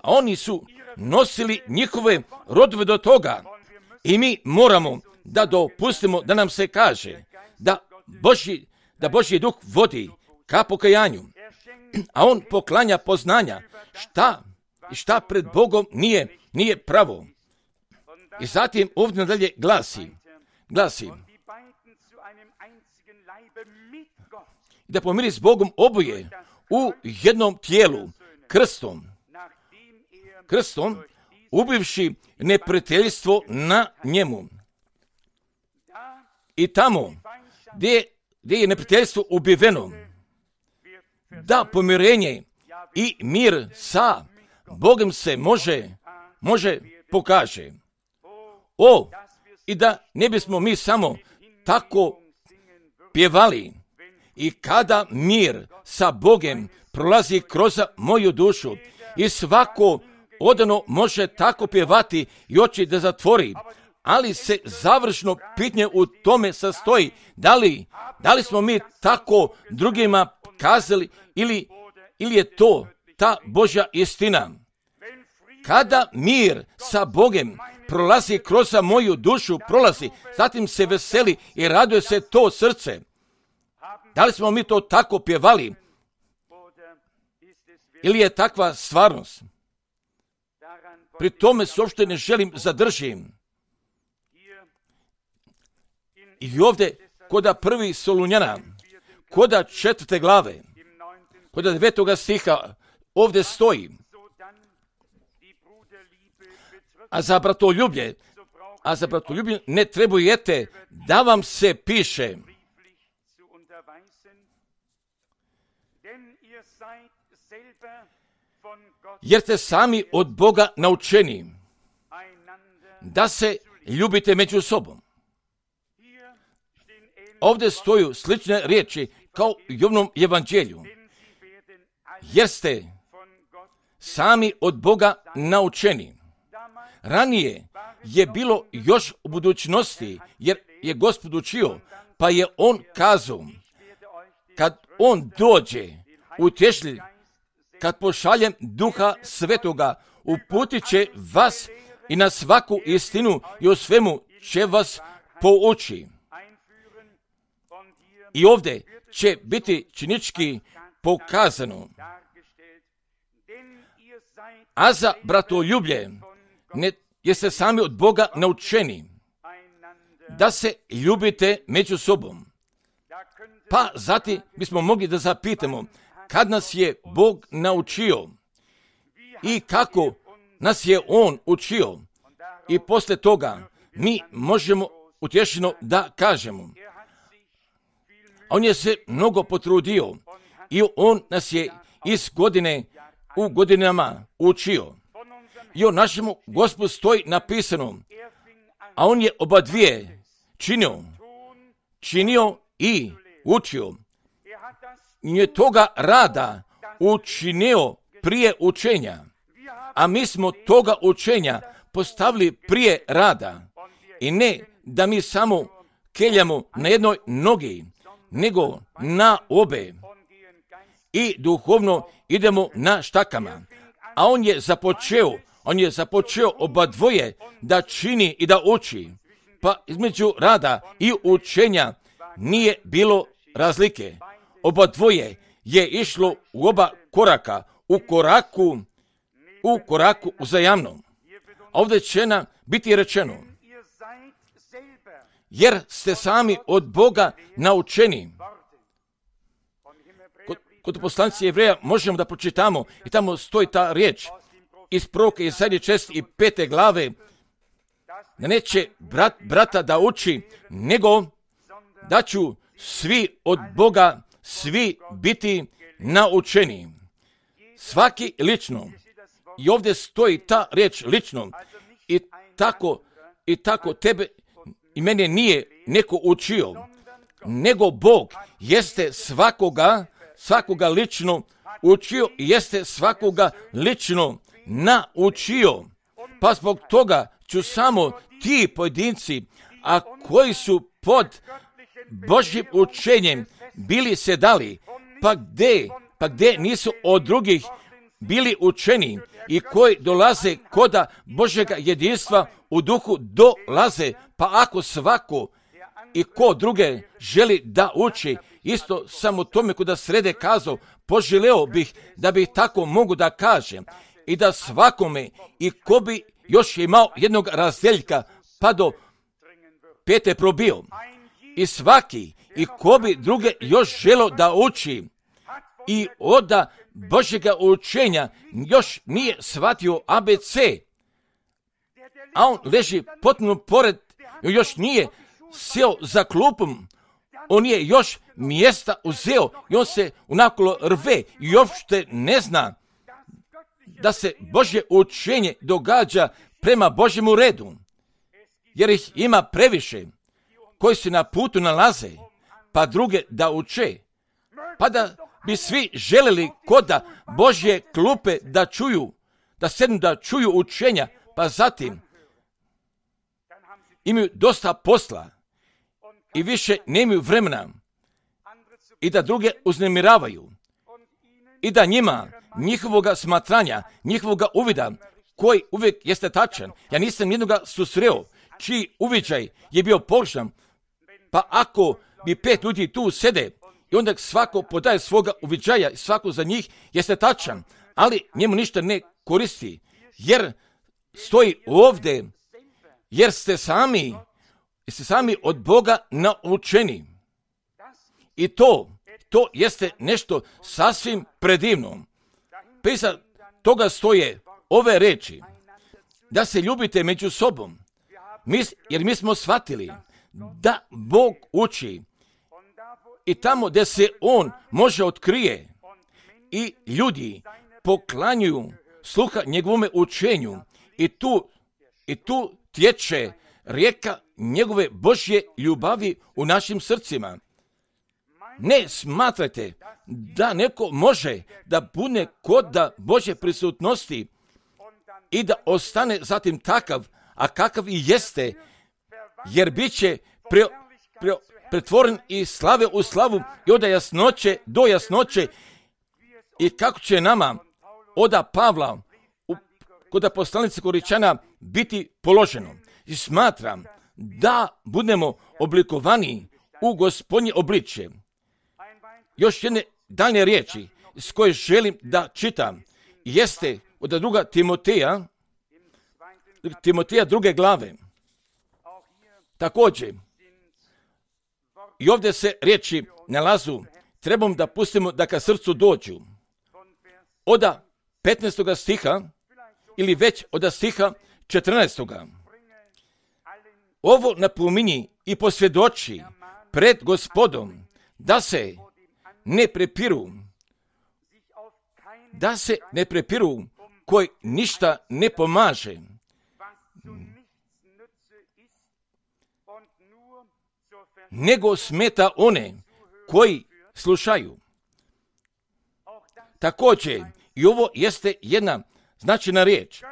a oni su nosili njihove rodove do toga i mi moramo da dopustimo da nam se kaže da Božji, da Božji duh vodi ka pokajanju, a on poklanja poznanja šta šta pred Bogom nije, nije pravo. I zatim ovdje nadalje glasi, glasi da pomiri s Bogom oboje u jednom tijelu, krstom, krstom, ubivši neprijateljstvo na njemu. I tamo gdje, gdje je neprijateljstvo ubiveno, da pomirenje i mir sa Bogom se može, može pokaže. O, i da ne bismo mi samo tako pjevali, i kada mir sa Bogom prolazi kroz moju dušu i svako odano može tako pjevati i oči da zatvori, ali se završno pitanje u tome sastoji, da li, da li smo mi tako drugima kazali ili, ili je to ta Božja istina. Kada mir sa Bogom prolazi kroz moju dušu, prolazi, zatim se veseli i raduje se to srce. Da li smo mi to tako pjevali? Ili je takva stvarnost? Pri tome se uopšte ne želim zadržim. I ovdje, koda prvi Solunjana, koda četvrte glave, koda devetoga stiha, ovdje stoji, a za bratoljublje, a za bratoljublje ne trebujete da vam se piše, jer ste sami od Boga naučeni da se ljubite među sobom. Ovdje stoju slične riječi kao i u ovom evanđelju, jer ste sami od Boga naučeni. Ranije je bilo još u budućnosti, jer je Gospod učio, pa je on kazao, kad on dođe utješitelj, kad pošaljem Duha Svetoga, uputit će vas i na svaku istinu i o svemu će vas pouči. I ovdje će biti činički pokazano. A za bratoljublje, ne, jeste sami od Boga naučeni da se ljubite među sobom. Pa zatim bismo mogli da zapitamo, kad nas je Bog naučio i kako nas je On učio, i poslije toga mi možemo utješeno da kažemo, On je se mnogo potrudio i on nas je iz godine u godinama učio. I o našemu Gospodu stoji napisano, a on je oba dvije činio, činio i učio. I je toga rada učinio prije učenja, a mi smo toga učenja postavili prije rada. I ne da mi samo keljamo na jednoj nogi, nego na obe. I duhovno idemo na štakama. A on je započeo, on je započeo oba dvoje da čini i da uči. Pa između rada i učenja nije bilo razlike. Oba dvoje je išlo u oba koraka, u koraku, u koraku uzajamno. A ovdje će nam biti rečeno, jer ste sami od Boga naučeni. Kod, kod poslanice Jevreja možemo da pročitamo i tamo stoji ta riječ iz proroka Jesaje četrdeset pete glave, da neće brat, brata da uči, nego da ću svi od Boga, svi biti naučeni. Svaki lično. I ovdje stoji ta riječ lično. I tako, i tako tebe i mene nije neko učio, nego Bog jeste svakoga, svakoga lično učio i jeste svakoga lično naučio. Pa zbog toga ću samo ti pojedinci, a koji su pod Božjim učenjem bili se dali, pa gdje, pa gdje nisu od drugih bili učeni i koji dolaze koda Božjega jedinstva u duhu dolaze, pa ako svako i ko druge želi da uči, isto samo tome kuda srede kazao, poželeo bih da bih tako mogu da kažem i da svakome i ko bi još imao jednog razdeljka pa do pete probio i svaki i ko bi druge još želo da uči i oda Božjega učenja još nije shvatio A B C, a on leži potpuno pored, još nije sjeo za klupom, on je još mjesta uzeo i on se unakolo rve i uopšte ne zna da se Božje učenje događa prema Božjemu redu, jer ih ima previše koji se na putu nalaze, pa druge da uče, pa da bi svi želeli koda Božje klupe da čuju, da sednu da čuju učenja, pa zatim imaju dosta posla i više nemaju vremena i da druge uznemiravaju i da njima, njihovoga smatranja, njihovoga uvida, koji uvijek jeste tačan, ja nisam jednoga susreo, čiji uviđaj je bio pogrešan, pa ako bi pet ljudi tu sede i onda svako podaje svoga uviđaja i svako za njih jeste tačan, ali njemu ništa ne koristi, jer stoji ovdje, jer ste sami, ste sami od Boga naučeni. I to, to jeste nešto sasvim predivno. Prisa toga stoje ove reči, da se ljubite među sobom, mi, jer mi smo shvatili da Bog uči i tamo gdje se On može otkrije i ljudi poklanjuju sluha njegovome učenju i tu, i tu tječe rijeka njegove Božje ljubavi u našim srcima. Ne smatrajte da neko može da bude koda Božje prisutnosti i da ostane zatim takav, a kakav i jeste, jer bit će pre, pre, pretvoren iz slave u slavu i od jasnoće do jasnoće i kako će nama oda Pavla u, kod poslanice Koričana biti položeno. I smatram da budemo oblikovani u Gospodnje obličje. Još jedne daljne riječi s koje želim da čitam jeste od druga Timoteja, Timoteja druge glave. Također, i ovdje se riječi nalazu, trebam da pustimo da ka srcu dođu. Oda petnaestoga stiha, ili već oda stiha četrnaestoga. Ovo napominji i posvjedoči pred Gospodom, da se ne prepiru, da se ne prepiru koji ništa ne pomaže, nego smeta one koji slušaju. Također, i ovo jeste jedna značajna riječ.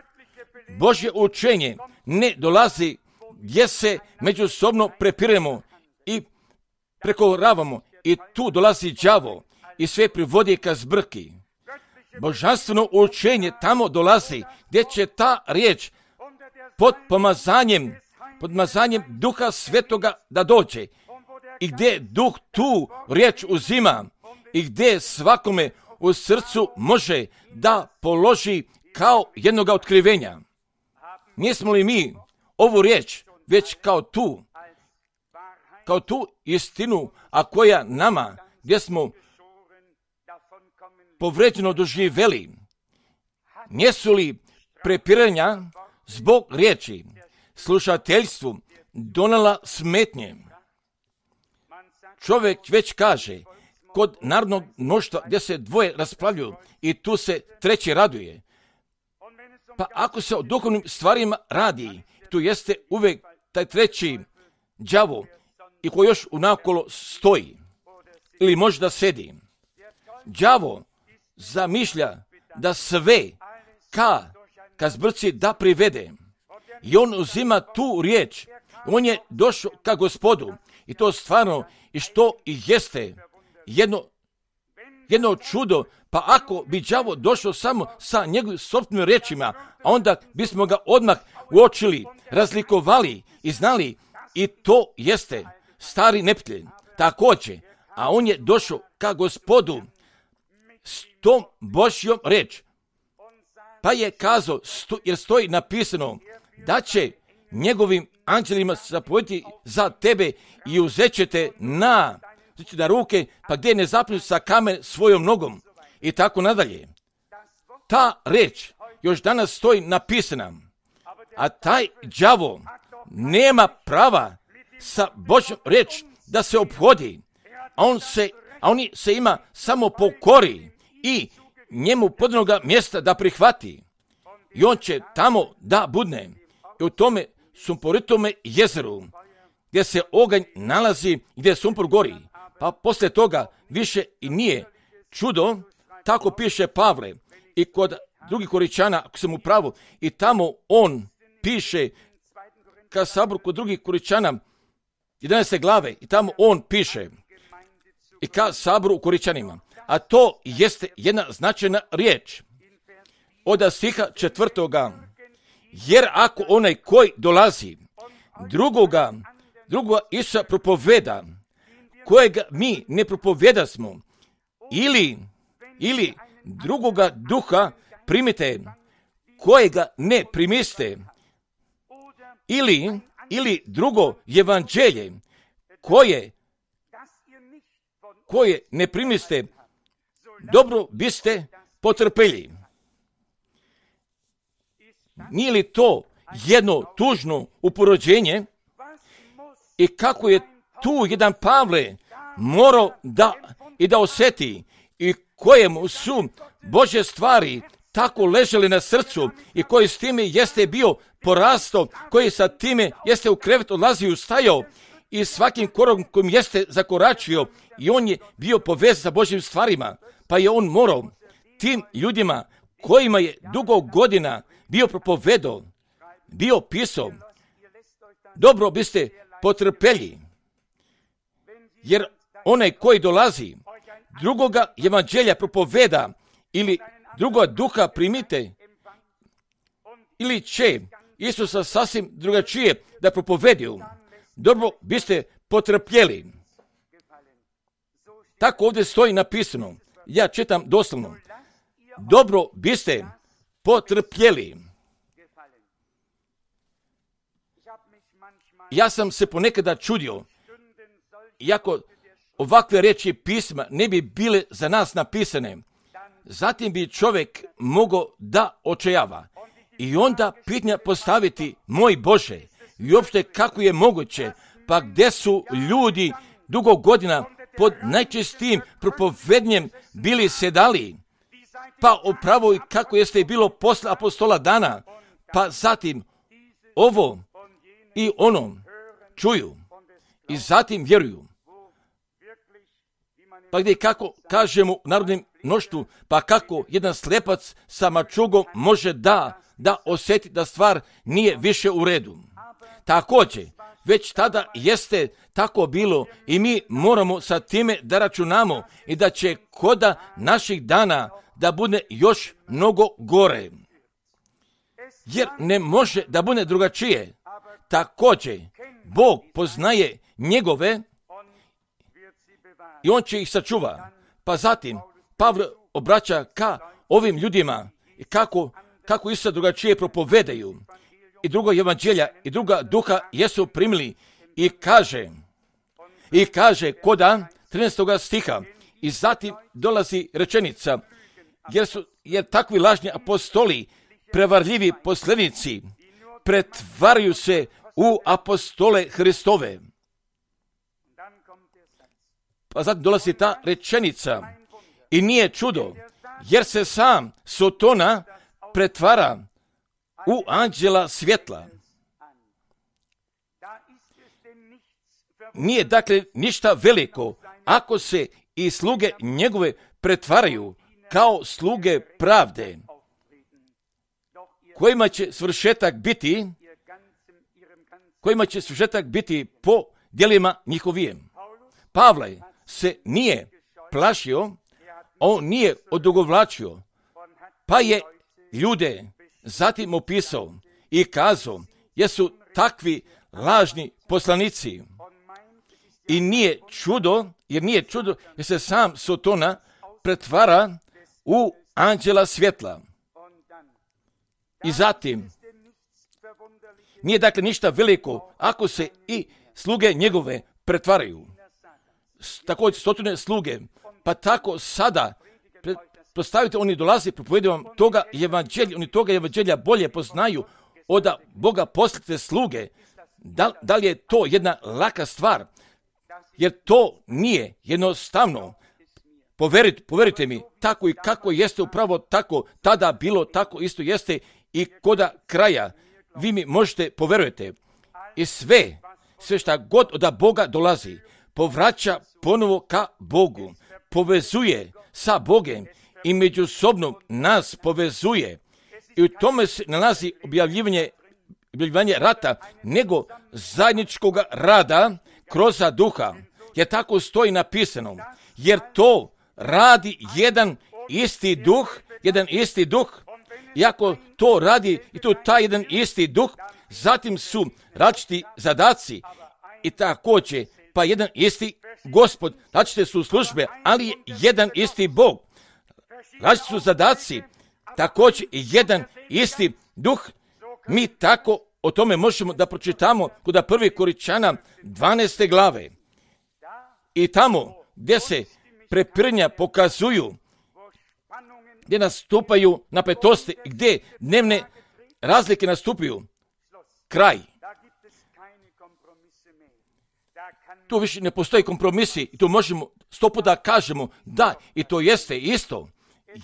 Božje učenje ne dolazi gdje se međusobno prepiremo i prekoravamo i tu dolazi đavo i sve privodi ka zbrki. Božanstveno učenje tamo dolazi gdje će ta riječ pod pomazanjem, pod pomazanjem Duha Svetoga da dođe i gdje Duh tu riječ uzima i gdje svakome u srcu može da položi kao jednoga otkrivenja. Nismo li mi ovu riječ već kao tu, kao tu istinu, a koja nama, gdje smo povređeno doživjeli, nisu li prepiranja zbog riječi slušateljstvu donela smetnje? Čovjek već kaže, kod narodnog mnoštva gdje se dvoje raspravljuju i tu se treći raduje. Pa ako se o duhovnim stvarima radi, tu jeste uvijek taj treći đavo i koji još unakolo stoji ili možda sedi. Đavo zamišlja da sve ka, ka zbrci da privede. I on uzima tu riječ. On je došao ka Gospodu. I to stvarno i što i jeste jedno, jedno čudo. Pa ako bi đavo došao samo sa njegovim sobstvenim riječima, a onda bismo ga odmah uočili, razlikovali i znali i to jeste stari neprijatelj. Također, a on je došao ka Gospodu s tom Božjom riječ. Pa je kazao, sto, jer stoji napisano da će njegovim anđelima zapovjediti za tebe i uzet će te na, na ruke, pa gdje ne zapnu sa kamen svojom nogom i tako nadalje. Ta riječ još danas stoji napisana, a taj đavo nema prava sa Božjom riječ da se ophodi, a on se, a on se ima samo pokori i njemu podanoga mjesta da prihvati. I on će tamo da budne. I u tome sumporitome jezeru, gdje se oganj nalazi, gdje sumpor gori. Pa poslije toga više i nije čudo, tako piše Pavle. I kod drugih Koričana, ako sam u pravu, i tamo on piše, ka saboru kod drugih Koričana, jedanaeste glave, i tamo on piše, i ka saboru u Koričanima. A to jeste jedna značajna riječ. Od stiha četvrtoga. Jer ako onaj koji dolazi drugoga, drugoga Isusa propoveda, kojega mi ne propovedasmo, ili, ili drugoga duha primite, kojega ne primiste, ili, ili drugo evanđelje, koje, koje ne primiste, dobro biste potrpeli. Nije li to jedno tužno uporođenje? I kako je tu jedan Pavle morao da i da osjeti i kojemu su Božje stvari tako ležele na srcu i koji s time jeste bio porasto, koji sa time jeste u krevet odlazio, stajao i svakim korakom kojim jeste zakoračio i on je bio povezan sa Božjim stvarima, pa je on morao tim ljudima kojima je dugo godina bio propovedao, bio pisao, dobro biste potrpeli, jer onaj koji dolazi drugoga evanđelja propoveda ili drugoga duha primite, ili će Isusa sasvim drugačije da propovediju, dobro biste potrpjeli. Tako ovdje stoji napisano, ja čitam doslovno, dobro biste potrpjeli. Ja sam se ponekada čudio, iako ovakve riječi pisma ne bi bile za nas napisane, zatim bi čovjek mogao da očajava i onda pitanja postaviti, moj Bože, i uopšte kako je moguće, pa gdje su ljudi dugo godina pod najčistijim propovednjem bili sedali, pa upravo i kako jeste bilo posle apostola dana, pa zatim ovo i ono čuju i zatim vjeruju. Pa gdje kako kažemo u narodnim mnoštvu, pa kako jedan slepac sa mačugom može da, da osjeti da stvar nije više u redu. Također, već tada jeste tako bilo i mi moramo sa time da računamo i da će koda naših dana da bude još mnogo gore. Jer ne može da bude drugačije. Također, Bog poznaje njegove i on će ih sačuva. Pa zatim, Pavle obraća ka ovim ljudima i kako, kako isto drugačije propovedaju. I drugo evanđelja i druga duha jesu primili i kaže, i kaže koda trinaestoga stiha i zatim dolazi rečenica, jer su, jer takvi lažni apostoli, prevarljivi posljednici, pretvaraju se u apostole Hristove. Pa zatim dolazi ta rečenica i nije čudo, jer se sam Sotona pretvara u anđela svjetla. Nije dakle ništa veliko ako se i sluge njegove pretvaraju kao sluge pravde, kojima će svršetak biti, kojima će svršetak biti po djelima njihovijem. Pavle se nije plašio, on nije odugovlačio, pa je ljude zatim opisao i kazao, jesu takvi lažni poslanici. I nije čudo, jer nije čudo, jer se sam Sotona pretvara u anđela svjetla. I zatim, nije dakle ništa veliko ako se i sluge njegove pretvaraju. Također stotine sluge, pa tako sada, postavite, oni dolazi, propovedaju vam toga evanđelja, oni toga evanđelja bolje poznaju od Boga poslite sluge. Da, da li je to jedna laka stvar? Jer to nije jednostavno. Poverite, poverite mi, tako i kako jeste upravo tako, tada bilo tako isto jeste i koda kraja. Vi mi možete poverujete. I sve, sve šta god od Boga dolazi, povraća ponovo ka Bogu, povezuje sa Bogem i međusobno nas povezuje. I u tome se nalazi objavljivanje, objavljivanje rata, nego zajedničkog rada kroz duha. Jer tako stoji napisano. Jer to radi jedan isti duh, jedan isti duh. I ako to radi i to taj jedan isti duh, zatim su različiti zadaci i također, pa jedan isti Gospod, različite su službe, ali je jedan isti Bog. Različiti su zadaci, također i jedan isti duh. Mi tako o tome možemo da pročitamo kod prvi Koričana dvanaeste glave. I tamo gdje se prepiranja pokazuju, gdje nastupaju napetosti, gdje dnevne razlike nastupaju, kraj. Tu više ne postoji kompromisi i tu možemo sto puta kažemo da i to jeste isto,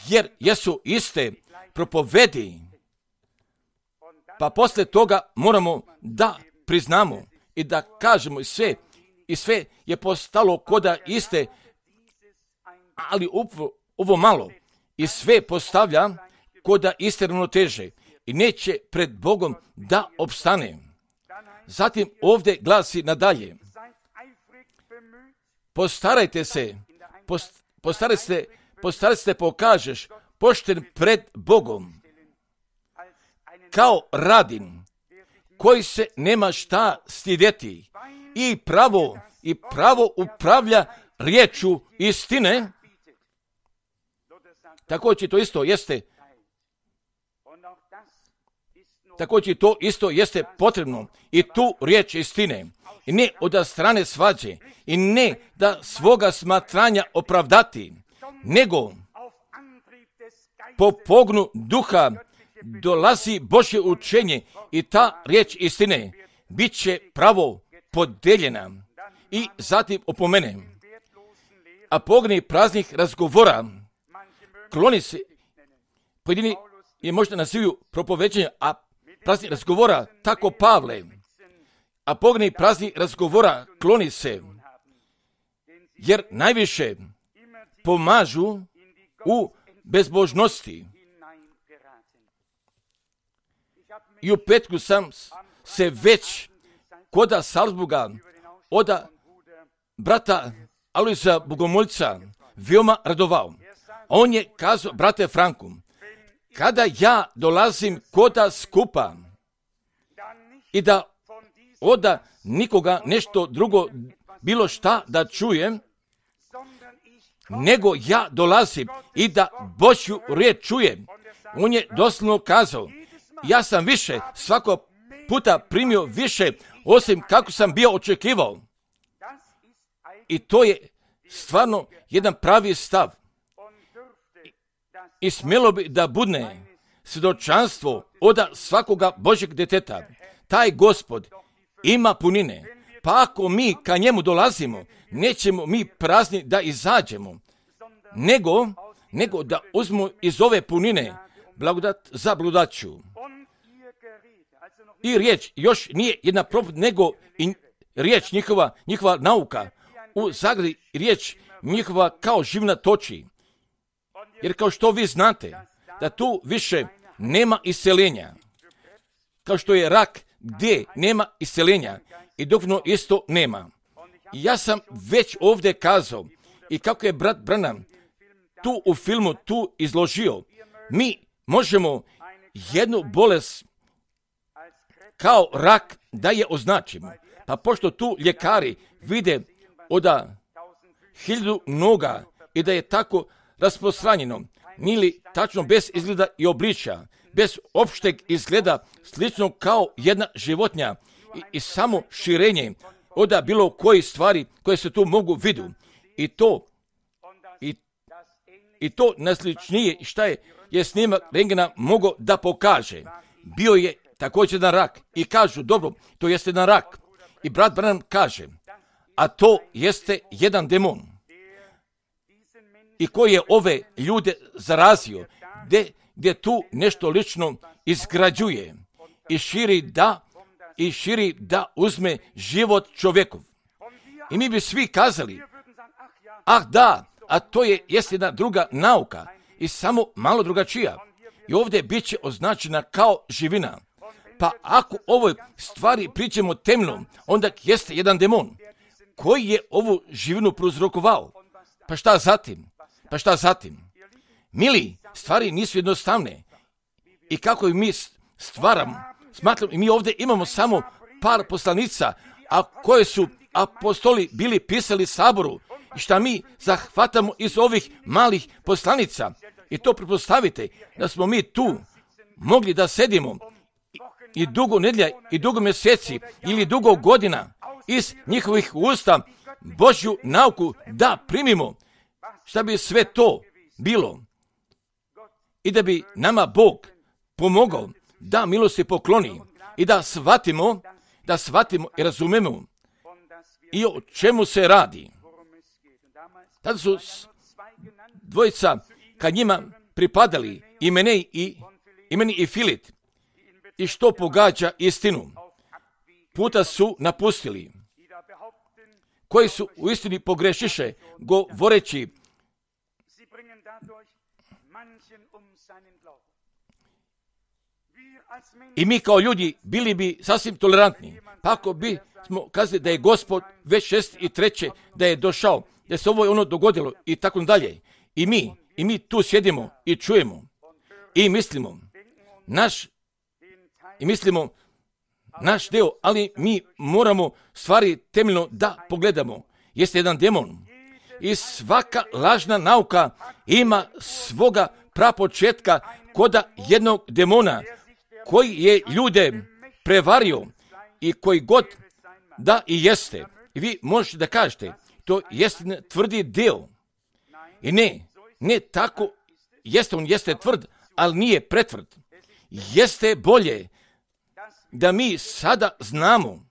jer jesu iste propovedi. Pa poslije toga moramo da priznamo i da kažemo i sve, i sve je postalo koda iste, ali ovo, ovo malo i sve postavlja koda iste ravnoteže i neće pred Bogom da opstane. Zatim ovdje glasi nadalje. Postarajte se, post, postarajte se, postarajte se pokažeš pošten pred Bogom, kao radin, koji se nema šta stidjeti i pravo, i pravo upravlja riječu istine. Također to isto jeste, također to isto jeste potrebno i tu riječ istine. I ne od strane svađe i ne da svoga smatranja opravdati, nego po pognu duha dolazi Božje učenje i ta riječ istine bit će pravo podeljena i zatim opomene. a pogledaj praznih razgovora, kloni se, pojedini je možda nazivaju propoveđenja, a praznih razgovora, tako Pavle, a pogledaj praznih razgovora, kloni se, jer najviše pomažu u bezbožnosti. I u petku sam se već koda Salzburga oda brata Alojza Bogomolca veoma radovao. On je kazao, brate Franku, kada ja dolazim koda skupa i da oda nikoga nešto drugo, bilo šta da čujem, nego ja dolazim i da Božju riječ čujem. On je doslovno kazao, ja sam više, svako puta primio više, osim kako sam bio očekivao. I to je stvarno jedan pravi stav. I smjelo bi da budne svjedočanstvo od svakoga Božjeg djeteta. Taj Gospod ima punine. Pa ako mi ka njemu dolazimo, nećemo mi prazni da izađemo, nego, nego da uzmemo iz ove punine blagodat za blagodaću. I riječ još nije jedna propovijed, nego i riječ njihova, njihova nauka. U zagradi riječ njihova kao živna toči. Jer kao što vi znate, da tu više nema iseljenja. Kao što je rak gdje nema iseljenja i duhovno isto nema. I ja sam već ovdje kazao i kako je brat Branham tu u filmu tu izložio, mi možemo jednu bolest kao rak da je označimo. Pa pošto tu ljekari vide od hiljadu noga i da je tako rasprostranjeno, nili tačno bez izgleda i obličja, bez opšteg izgleda, slično kao jedna životinja i, i samo širenje od bilo koje stvari koje se tu mogu vidu. I to, i, i to najsličnije šta je, je snimak rentgena mogao da pokaže. Bio je također jedan rak i kažu, dobro, to jeste jedan rak. I brat Branham kaže, a to jeste jedan demon. I koji je ove ljude zarazio, gdje, gdje tu nešto lično izgrađuje i širi da, i širi da uzme život čovjekov. I mi bi svi kazali, ah da, a to je jeste jedna druga nauka i samo malo drugačija. I ovdje bit će označena kao živina. Pa ako ovoj stvari pričamo temno, onda jeste jedan demon koji je ovu živinu prouzrokovao. Pa šta zatim? Pa šta zatim? Mili, stvari nisu jednostavne. I kako mi stvaramo, smatram, mi ovdje imamo samo par poslanica, a koje su apostoli bili pisali saboru. I šta mi zahvatamo iz ovih malih poslanica. I to pretpostavite da smo mi tu mogli da sedimo i dugo nedjelja i dugo mjeseci ili dugo godina iz njihovih usta Božju nauku da primimo. Šta bi sve to bilo? I da bi nama Bog pomogao da milosti pokloni i da shvatimo, da shvatimo i razumemo i o čemu se radi. Tada su dvojica kad njima pripadali imeni i, imeni i Filit i što pogađa istinu. Puta su napustili, koji su u istini pogrešiše, govoreći i mi kao ljudi bili bi sasvim tolerantni. Pa ako bi smo kazali da je Gospod već šest i treće, da je došao, da se ovo ono dogodilo i tako dalje. I mi, i mi tu sjedimo i čujemo i mislimo naš, i mislimo naš deo, ali mi moramo stvari temeljno da pogledamo. Jeste jedan demon i svaka lažna nauka ima svoga prapočetka koda jednog demona koji je ljude prevario i koji god da i jeste. I vi možete da kažete, to jeste tvrdi deo. I ne, ne tako, jeste on jeste tvrd, ali nije pretvrd. Jeste bolje da mi sada znamo,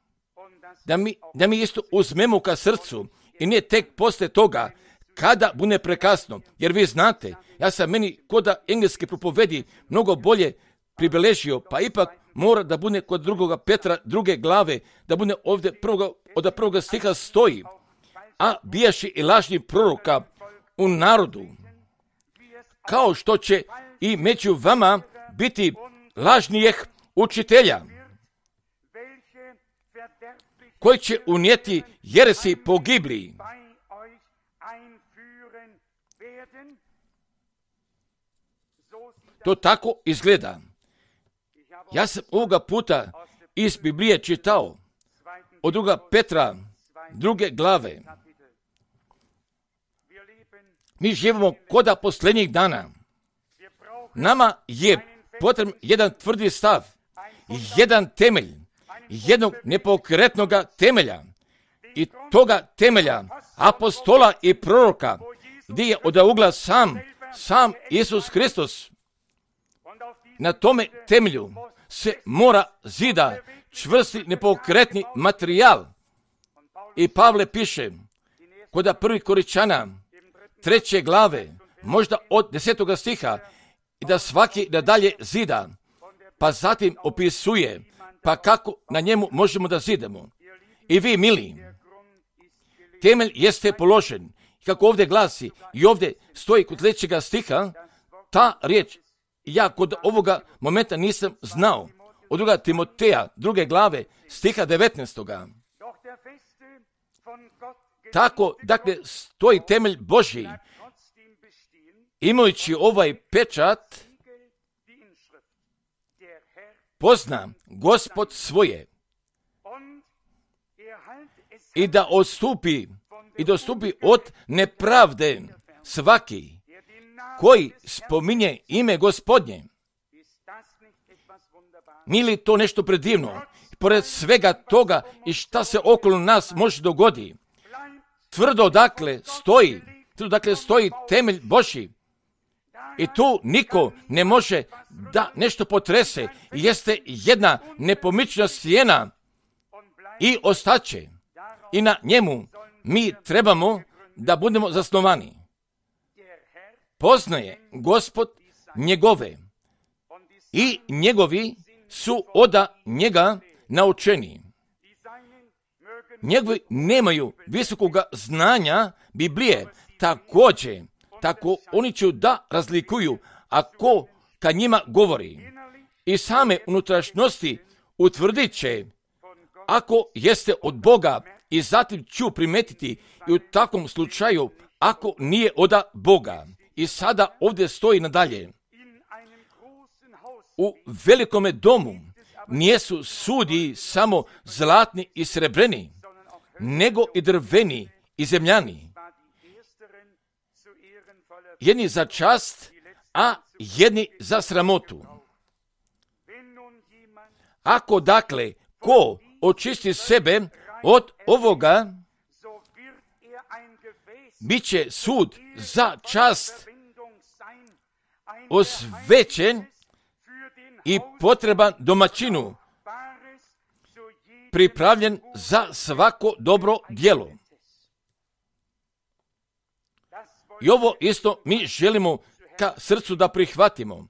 da mi, da mi isto uzmemo ka srcu i ne tek posle toga kada bude prekasno. Jer vi znate, ja sam meni koda engleske propovedi mnogo bolje pribeležio, pa ipak mora da bude kod drugoga Petra druge glave, da bude ovdje prvoga, od prvoga stiha stoji. A bijaši i lažni proroka u narodu, kao što će i među vama biti lažnijih učitelja, koji će unijeti jeresi pogibli. To tako izgleda. Ja sam ovoga puta iz Biblije čitao od druga Petra, druge glave. Mi živimo koda posljednjih dana. Nama je potreban jedan tvrdi stav, jedan temelj, jednog nepokretnog temelja. I toga temelja apostola i proroka, gdje je od ugla sam, sam Isus Hristos. Na tome temelju se mora zida čvrsti nepokretni materijal. I Pavle piše, kod prvi Koričana, treće glave, možda od desetoga stiha, i da svaki nadalje zida, pa zatim opisuje, pa kako na njemu možemo da zidemo. I vi, mili, temelj jeste položen. Kako ovdje glasi, i ovdje stoji kod trećega stiha, ta riječ, ja kod ovoga momenta nisam znao, od druga Timoteja, druge glave, stiha devetnaestoga. Tako, dakle, stoji temelj Božji, imajući ovaj pečat, pozna Gospod svoje i da odstupi i dostupi od nepravde svaki koji spominje ime Gospodnje. Nije to nešto predivno? Pored svega toga i šta se okolo nas može dogodi, tvrdo dakle stoji, tvrdo dakle stoji temelj Božji. I tu niko ne može da nešto potrese. Jeste jedna nepomična stijena i ostaće. I na njemu mi trebamo da budemo zasnovani. Poznaje Gospod njegove i njegovi su od njega naučeni. Njegovi nemaju visokoga znanja Biblije, također, tako oni će da razlikuju ako ka njima govori. I same unutrašnjosti utvrdit će ako jeste od Boga i zatim ću primetiti i u takvom slučaju ako nije od Boga. I sada ovdje stoji nadalje. U velikome domu nijesu sudi samo zlatni i srebreni, nego i drveni i zemljani. Jedni za čast, a jedni za sramotu. Ako dakle, ko očisti sebe od ovoga, bit će sud za čast osvećen i potreban domaćinu, pripravljen za svako dobro djelo. I ovo isto mi želimo ka srcu da prihvatimo.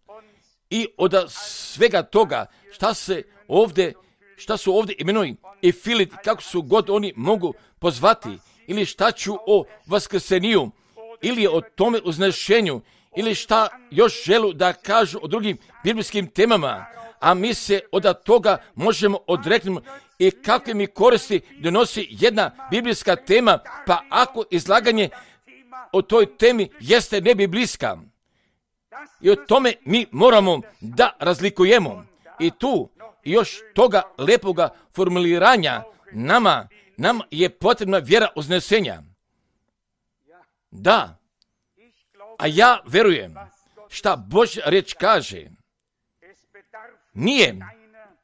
I od svega toga šta se ovdje, šta su ovdje imenuji i Filit, kako su god oni mogu pozvati, ili šta ću o vaskrseniju, ili o tome uznešenju, ili šta još želu da kažu o drugim biblijskim temama, a mi se od toga možemo odreknuti i kakve mi koristi donosi jedna biblijska tema, pa ako izlaganje o toj temi jeste nebiblijska. I o tome mi moramo da razlikujemo. I tu još toga lepoga formuliranja nama, nam je potrebna vjera uznesenja. Da, a ja verujem šta Božja riječ kaže. Nije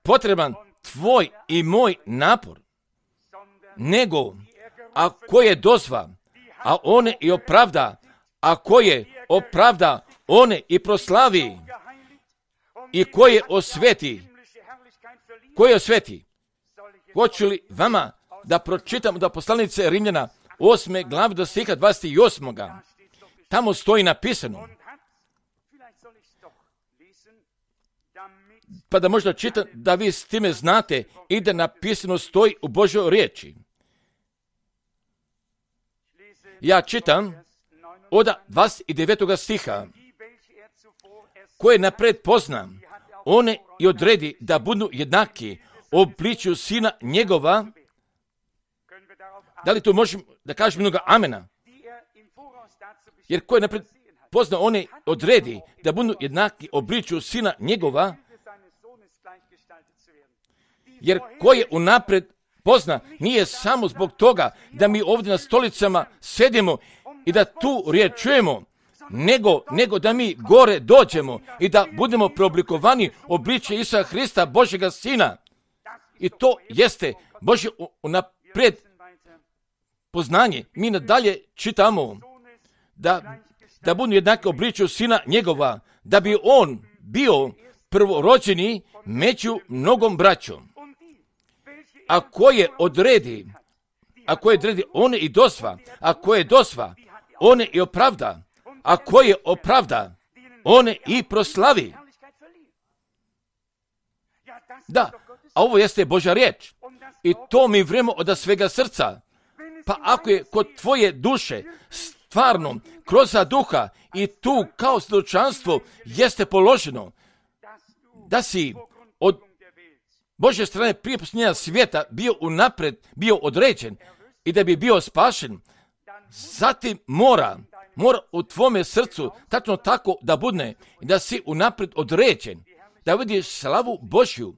potreban tvoj i moj napor, nego ako je dozva, a one i opravda, ako je opravda, one i proslavi, i koje osveti, koje osveti. Hoću li vama da pročitam da poslanice Rimljana osme glave do stiha dvadeset osam. Tamo stoji napisano. Pa da možda čitam da vi s time znate i da napisano stoji u Božoj riječi. Ja čitam od dvadeset devetog stiha. Koje napred pozna, one i odredi da budu jednaki obličju sina njegova. Da li tu možemo da kažemo mnogo amena? Jer koje napred pozna, one odredi da budu jednaki obličju sina njegova. Jer koje unapred pozna, nije samo zbog toga da mi ovdje na stolicama sedimo i da tu riječ čujemo, nego, nego da mi gore dođemo i da budemo preoblikovani obličje Isusa Hrista, Božjega Sina. I to jeste Božje unaprijed poznanje. Mi nadalje čitamo da, da budu jednaki obličju Sina njegova, da bi on bio prvorođeni među mnogom braćom. Ako je odredi, ako je odredi, one i dosva, ako je dosva, one i opravda, ako je opravda, one i proslavi. Da, a ovo jeste Božja riječ. I to mi vremo od svega srca. Pa ako je kod tvoje duše stvarno kroz duha i tu kao svjedočanstvo jeste položeno da si od Božje strane prije posljednja svijeta bio unapred, bio određen i da bi bio spašen, zatim mora, mora u tvome srcu tačno tako da budne i da si unapred određen, da vidiš slavu Božju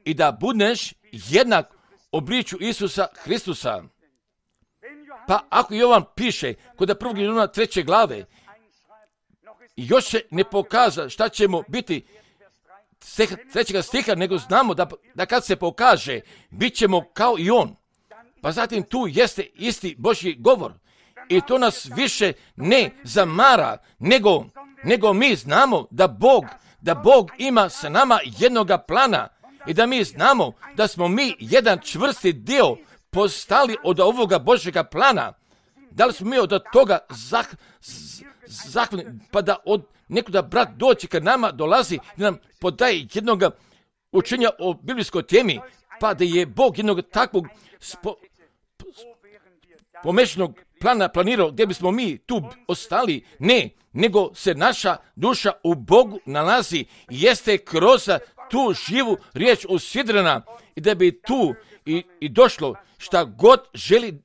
i da budeš jednak obličju Isusa Hristusa. Pa ako Jovan piše kod prvog Jovana treće glave, još se ne pokaza šta ćemo biti trećega stiha, nego znamo da, da kad se pokaže, bit ćemo kao i on. Pa zatim tu jeste isti Božji govor. I to nas više ne zamara, nego, nego mi znamo da Bog, da Bog ima sa nama jednoga plana i da mi znamo da smo mi jedan čvrsti dio postali od ovoga Božjega plana. Da li smo mi od toga zah, zahvalni, pa da od nekuda brat doći kad nama dolazi i nam podaje jednog učenja o biblijskoj temi, pa da je Bog jednog takvog spo, pomešnog plana planirao gdje bismo mi tu ostali. Ne, nego se naša duša u Bogu nalazi i jeste kroz tu živu riječ usidrena i da bi tu i, i došlo šta god želi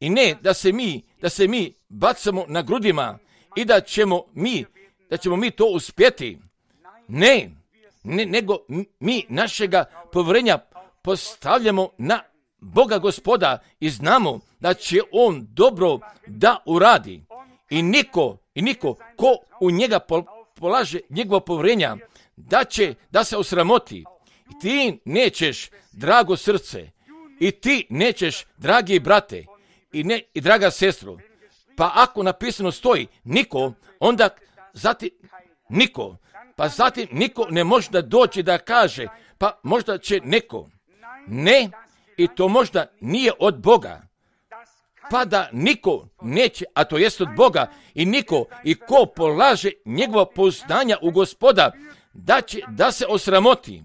i ne da se mi, da se mi bacamo na grudima i da ćemo mi, da ćemo mi to uspjeti. Ne, ne nego mi našega povjerenja postavljamo na Boga Gospoda i znamo da će On dobro da uradi. I niko, i niko ko u njega polaže njegovo povjerenja, da će da se osramoti. I ti nećeš, drago srce, i ti nećeš, dragi brate, i, ne, i draga sestro. Pa ako napisano stoji niko, onda zatim niko, pa zatim niko ne može da doći da kaže, pa možda će neko. Ne, i to možda nije od Boga. Pa da niko neće, a to jest od Boga, i niko, i ko polaže njegova pouzdanja u Gospoda, da će da se osramoti.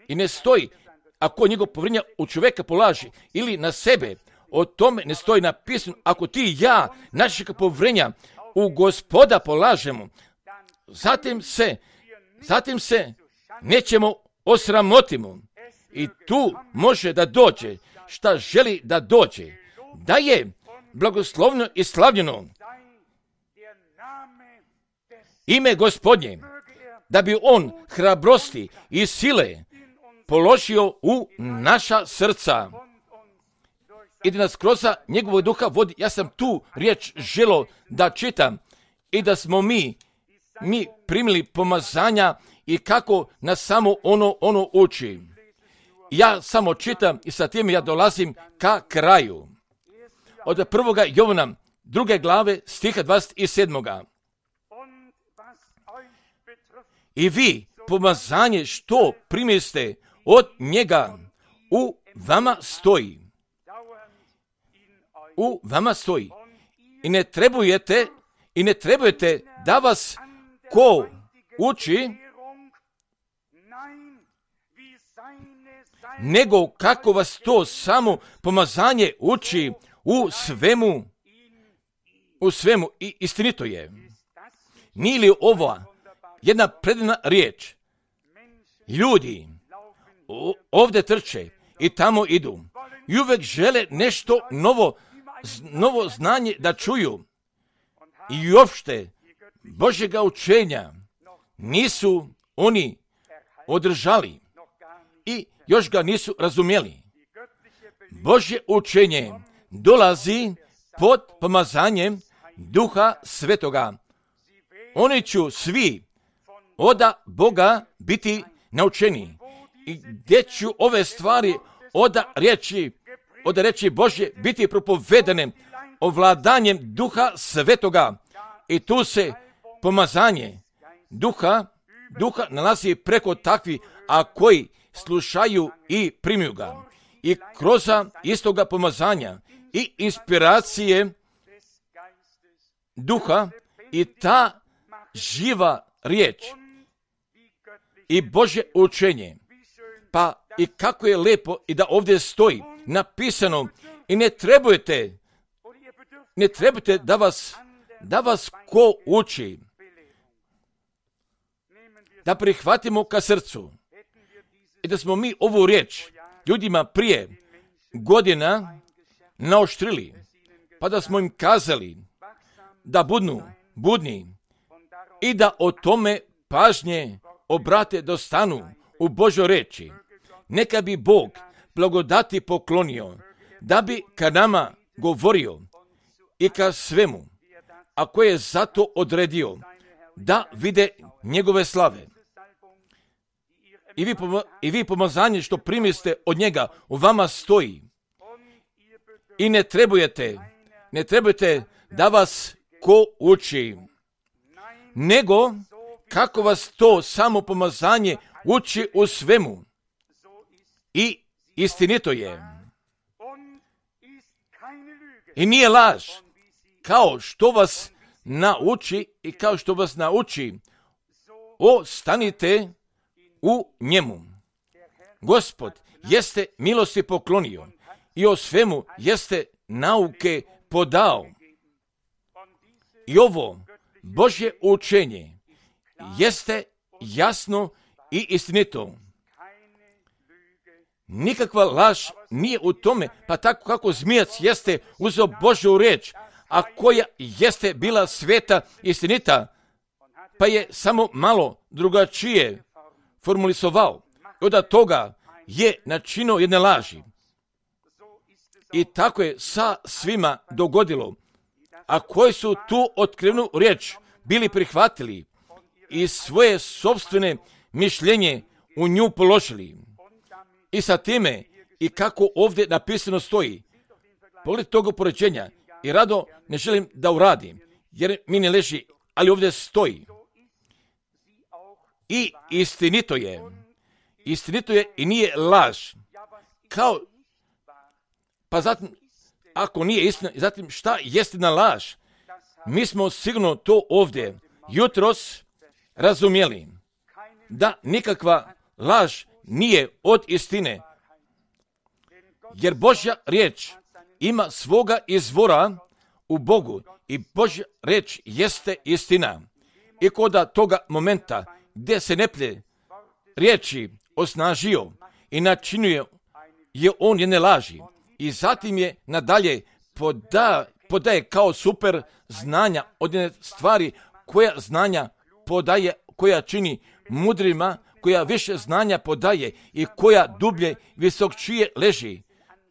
I ne stoji, ako njegov povjerenja u čovjeka polaži ili na sebe, o tome ne stoji napisano, ako ti i ja našeg povjerenja u Gospoda polažemo, zatim se, zatim se nećemo osramotimo. I tu može da dođe šta želi da dođe. Da je blagoslovno i slavljeno ime Gospodnje, da bi on hrabrosti i sile položio u naša srca i da nas kroz njegovog duha vodi. Ja sam tu riječ želo da čitam i da smo mi, mi primili pomazanja i kako nas samo ono, ono uči. Ja samo čitam i sa tim ja dolazim ka kraju. Od prvoga Jovana, druge glave, stiha dvadeset sedam. I vi, pomazanje što primiste od njega, u vama stoji. u vama stoji. I ne trebujete, i ne trebujete da vas ko uči, nego kako vas to samo pomazanje uči u svemu, u svemu i istinito je. Nije li ova jedna predivna riječ? Ljudi ovdje trče i tamo idu i uvijek žele nešto novo, novo znanje da čuju i uopšte Božjega učenja nisu oni održali i još ga nisu razumjeli. Božje učenje dolazi pod pomazanjem Duha Svetoga. Oni će svi od Boga biti naučeni i gdje ću ove stvari od riječi, od riječi Božje biti propovedane ovladanjem Duha Svetoga. I tu se pomazanje Duha, Duha nalazi preko takvi, a koji slušaju i primiju ga. I kroz istoga pomazanja i inspiracije Duha i ta živa riječ i Božje učenje. Pa i kako je lepo i da ovdje stoji napisano i ne trebujete, ne trebujete da vas, da vas ko uči, da prihvatimo ka srcu i da smo mi ovu riječ ljudima prije godina naoštrili, pa da smo im kazali da budnu budni i da o tome pažnje obrate do stanu u Božoj reči. Neka bi Bog blagodati poklonio, da bi ka nama govorio i ka svemu, a koje je zato odredio, da vide njegove slave. I vi, poma- i vi pomazanje što primiste od njega u vama stoji. I ne trebujete, ne trebujete da vas ko uči, nego kako vas to samo pomazanje uči u svemu. I istinito je. I nije laž, kao što vas nauči i kao što vas nauči, ostanite u njemu. Gospod jeste milosti poklonio i o svemu jeste nauke podao. I ovo Božje učenje jeste jasno i istinito. Nikakva laž nije u tome, pa tako kako zmijac jeste uzeo Božju riječ, a koja jeste bila sveta istinita, pa je samo malo drugačije formulisovao. I od toga je načinio jedne laži. I tako je sa svima dogodilo. A koji su tu otkrivenu riječ bili prihvatili i svoje sopstvene mišljenje u nju položili. I sa time, i kako ovdje napisano stoji, pogled toga poređenja, i rado ne želim da uradim, jer mi ne leži, ali ovdje stoji. I istinito je, istinito je i nije laž. Kao, pa zatim, ako nije istina, zatim šta je istina laž? Mi smo sigurno to ovdje jutros razumjeli, da nikakva laž nije od istine, jer Božja riječ ima svoga izvora u Bogu i Božja riječ jeste istina. I kod toga momenta gdje se neplje riječi osnažio i načinio je on jedne laži i zatim je nadalje poda, podaje kao super znanja od jedne stvari koja znanja podaje, koja čini mudrima, koja više znanja podaje i koja dublje visokčije leži.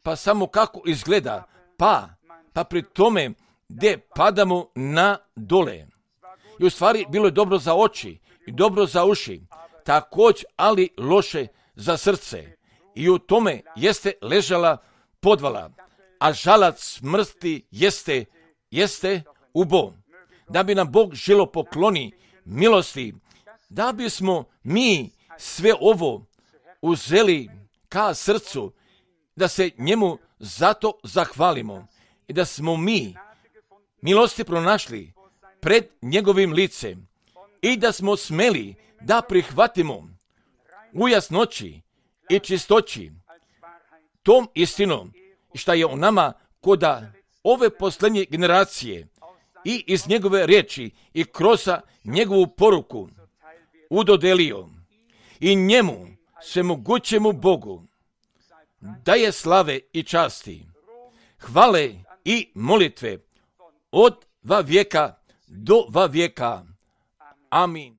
Pa samo kako izgleda, pa, pa pri tome gdje padamo na dole. I u stvari bilo je dobro za oči i dobro za uši, također ali loše za srce. I u tome jeste ležala podvala, a žalac smrti jeste, jeste ubo. Da bi nam Bog želo pokloni milosti, da bismo mi sve ovo uzeli ka srcu, da se njemu zato zahvalimo i da smo mi milosti pronašli pred njegovim licem i da smo smeli da prihvatimo u jasnoći i čistoći tom istinom šta je u nama koda ove posljednje generacije i iz njegove riječi i kroz njegovu poruku udodelio i njemu svemogućemu Bogu daje slave i časti, hvale i molitve od va vijeka do va vijeka. Amin.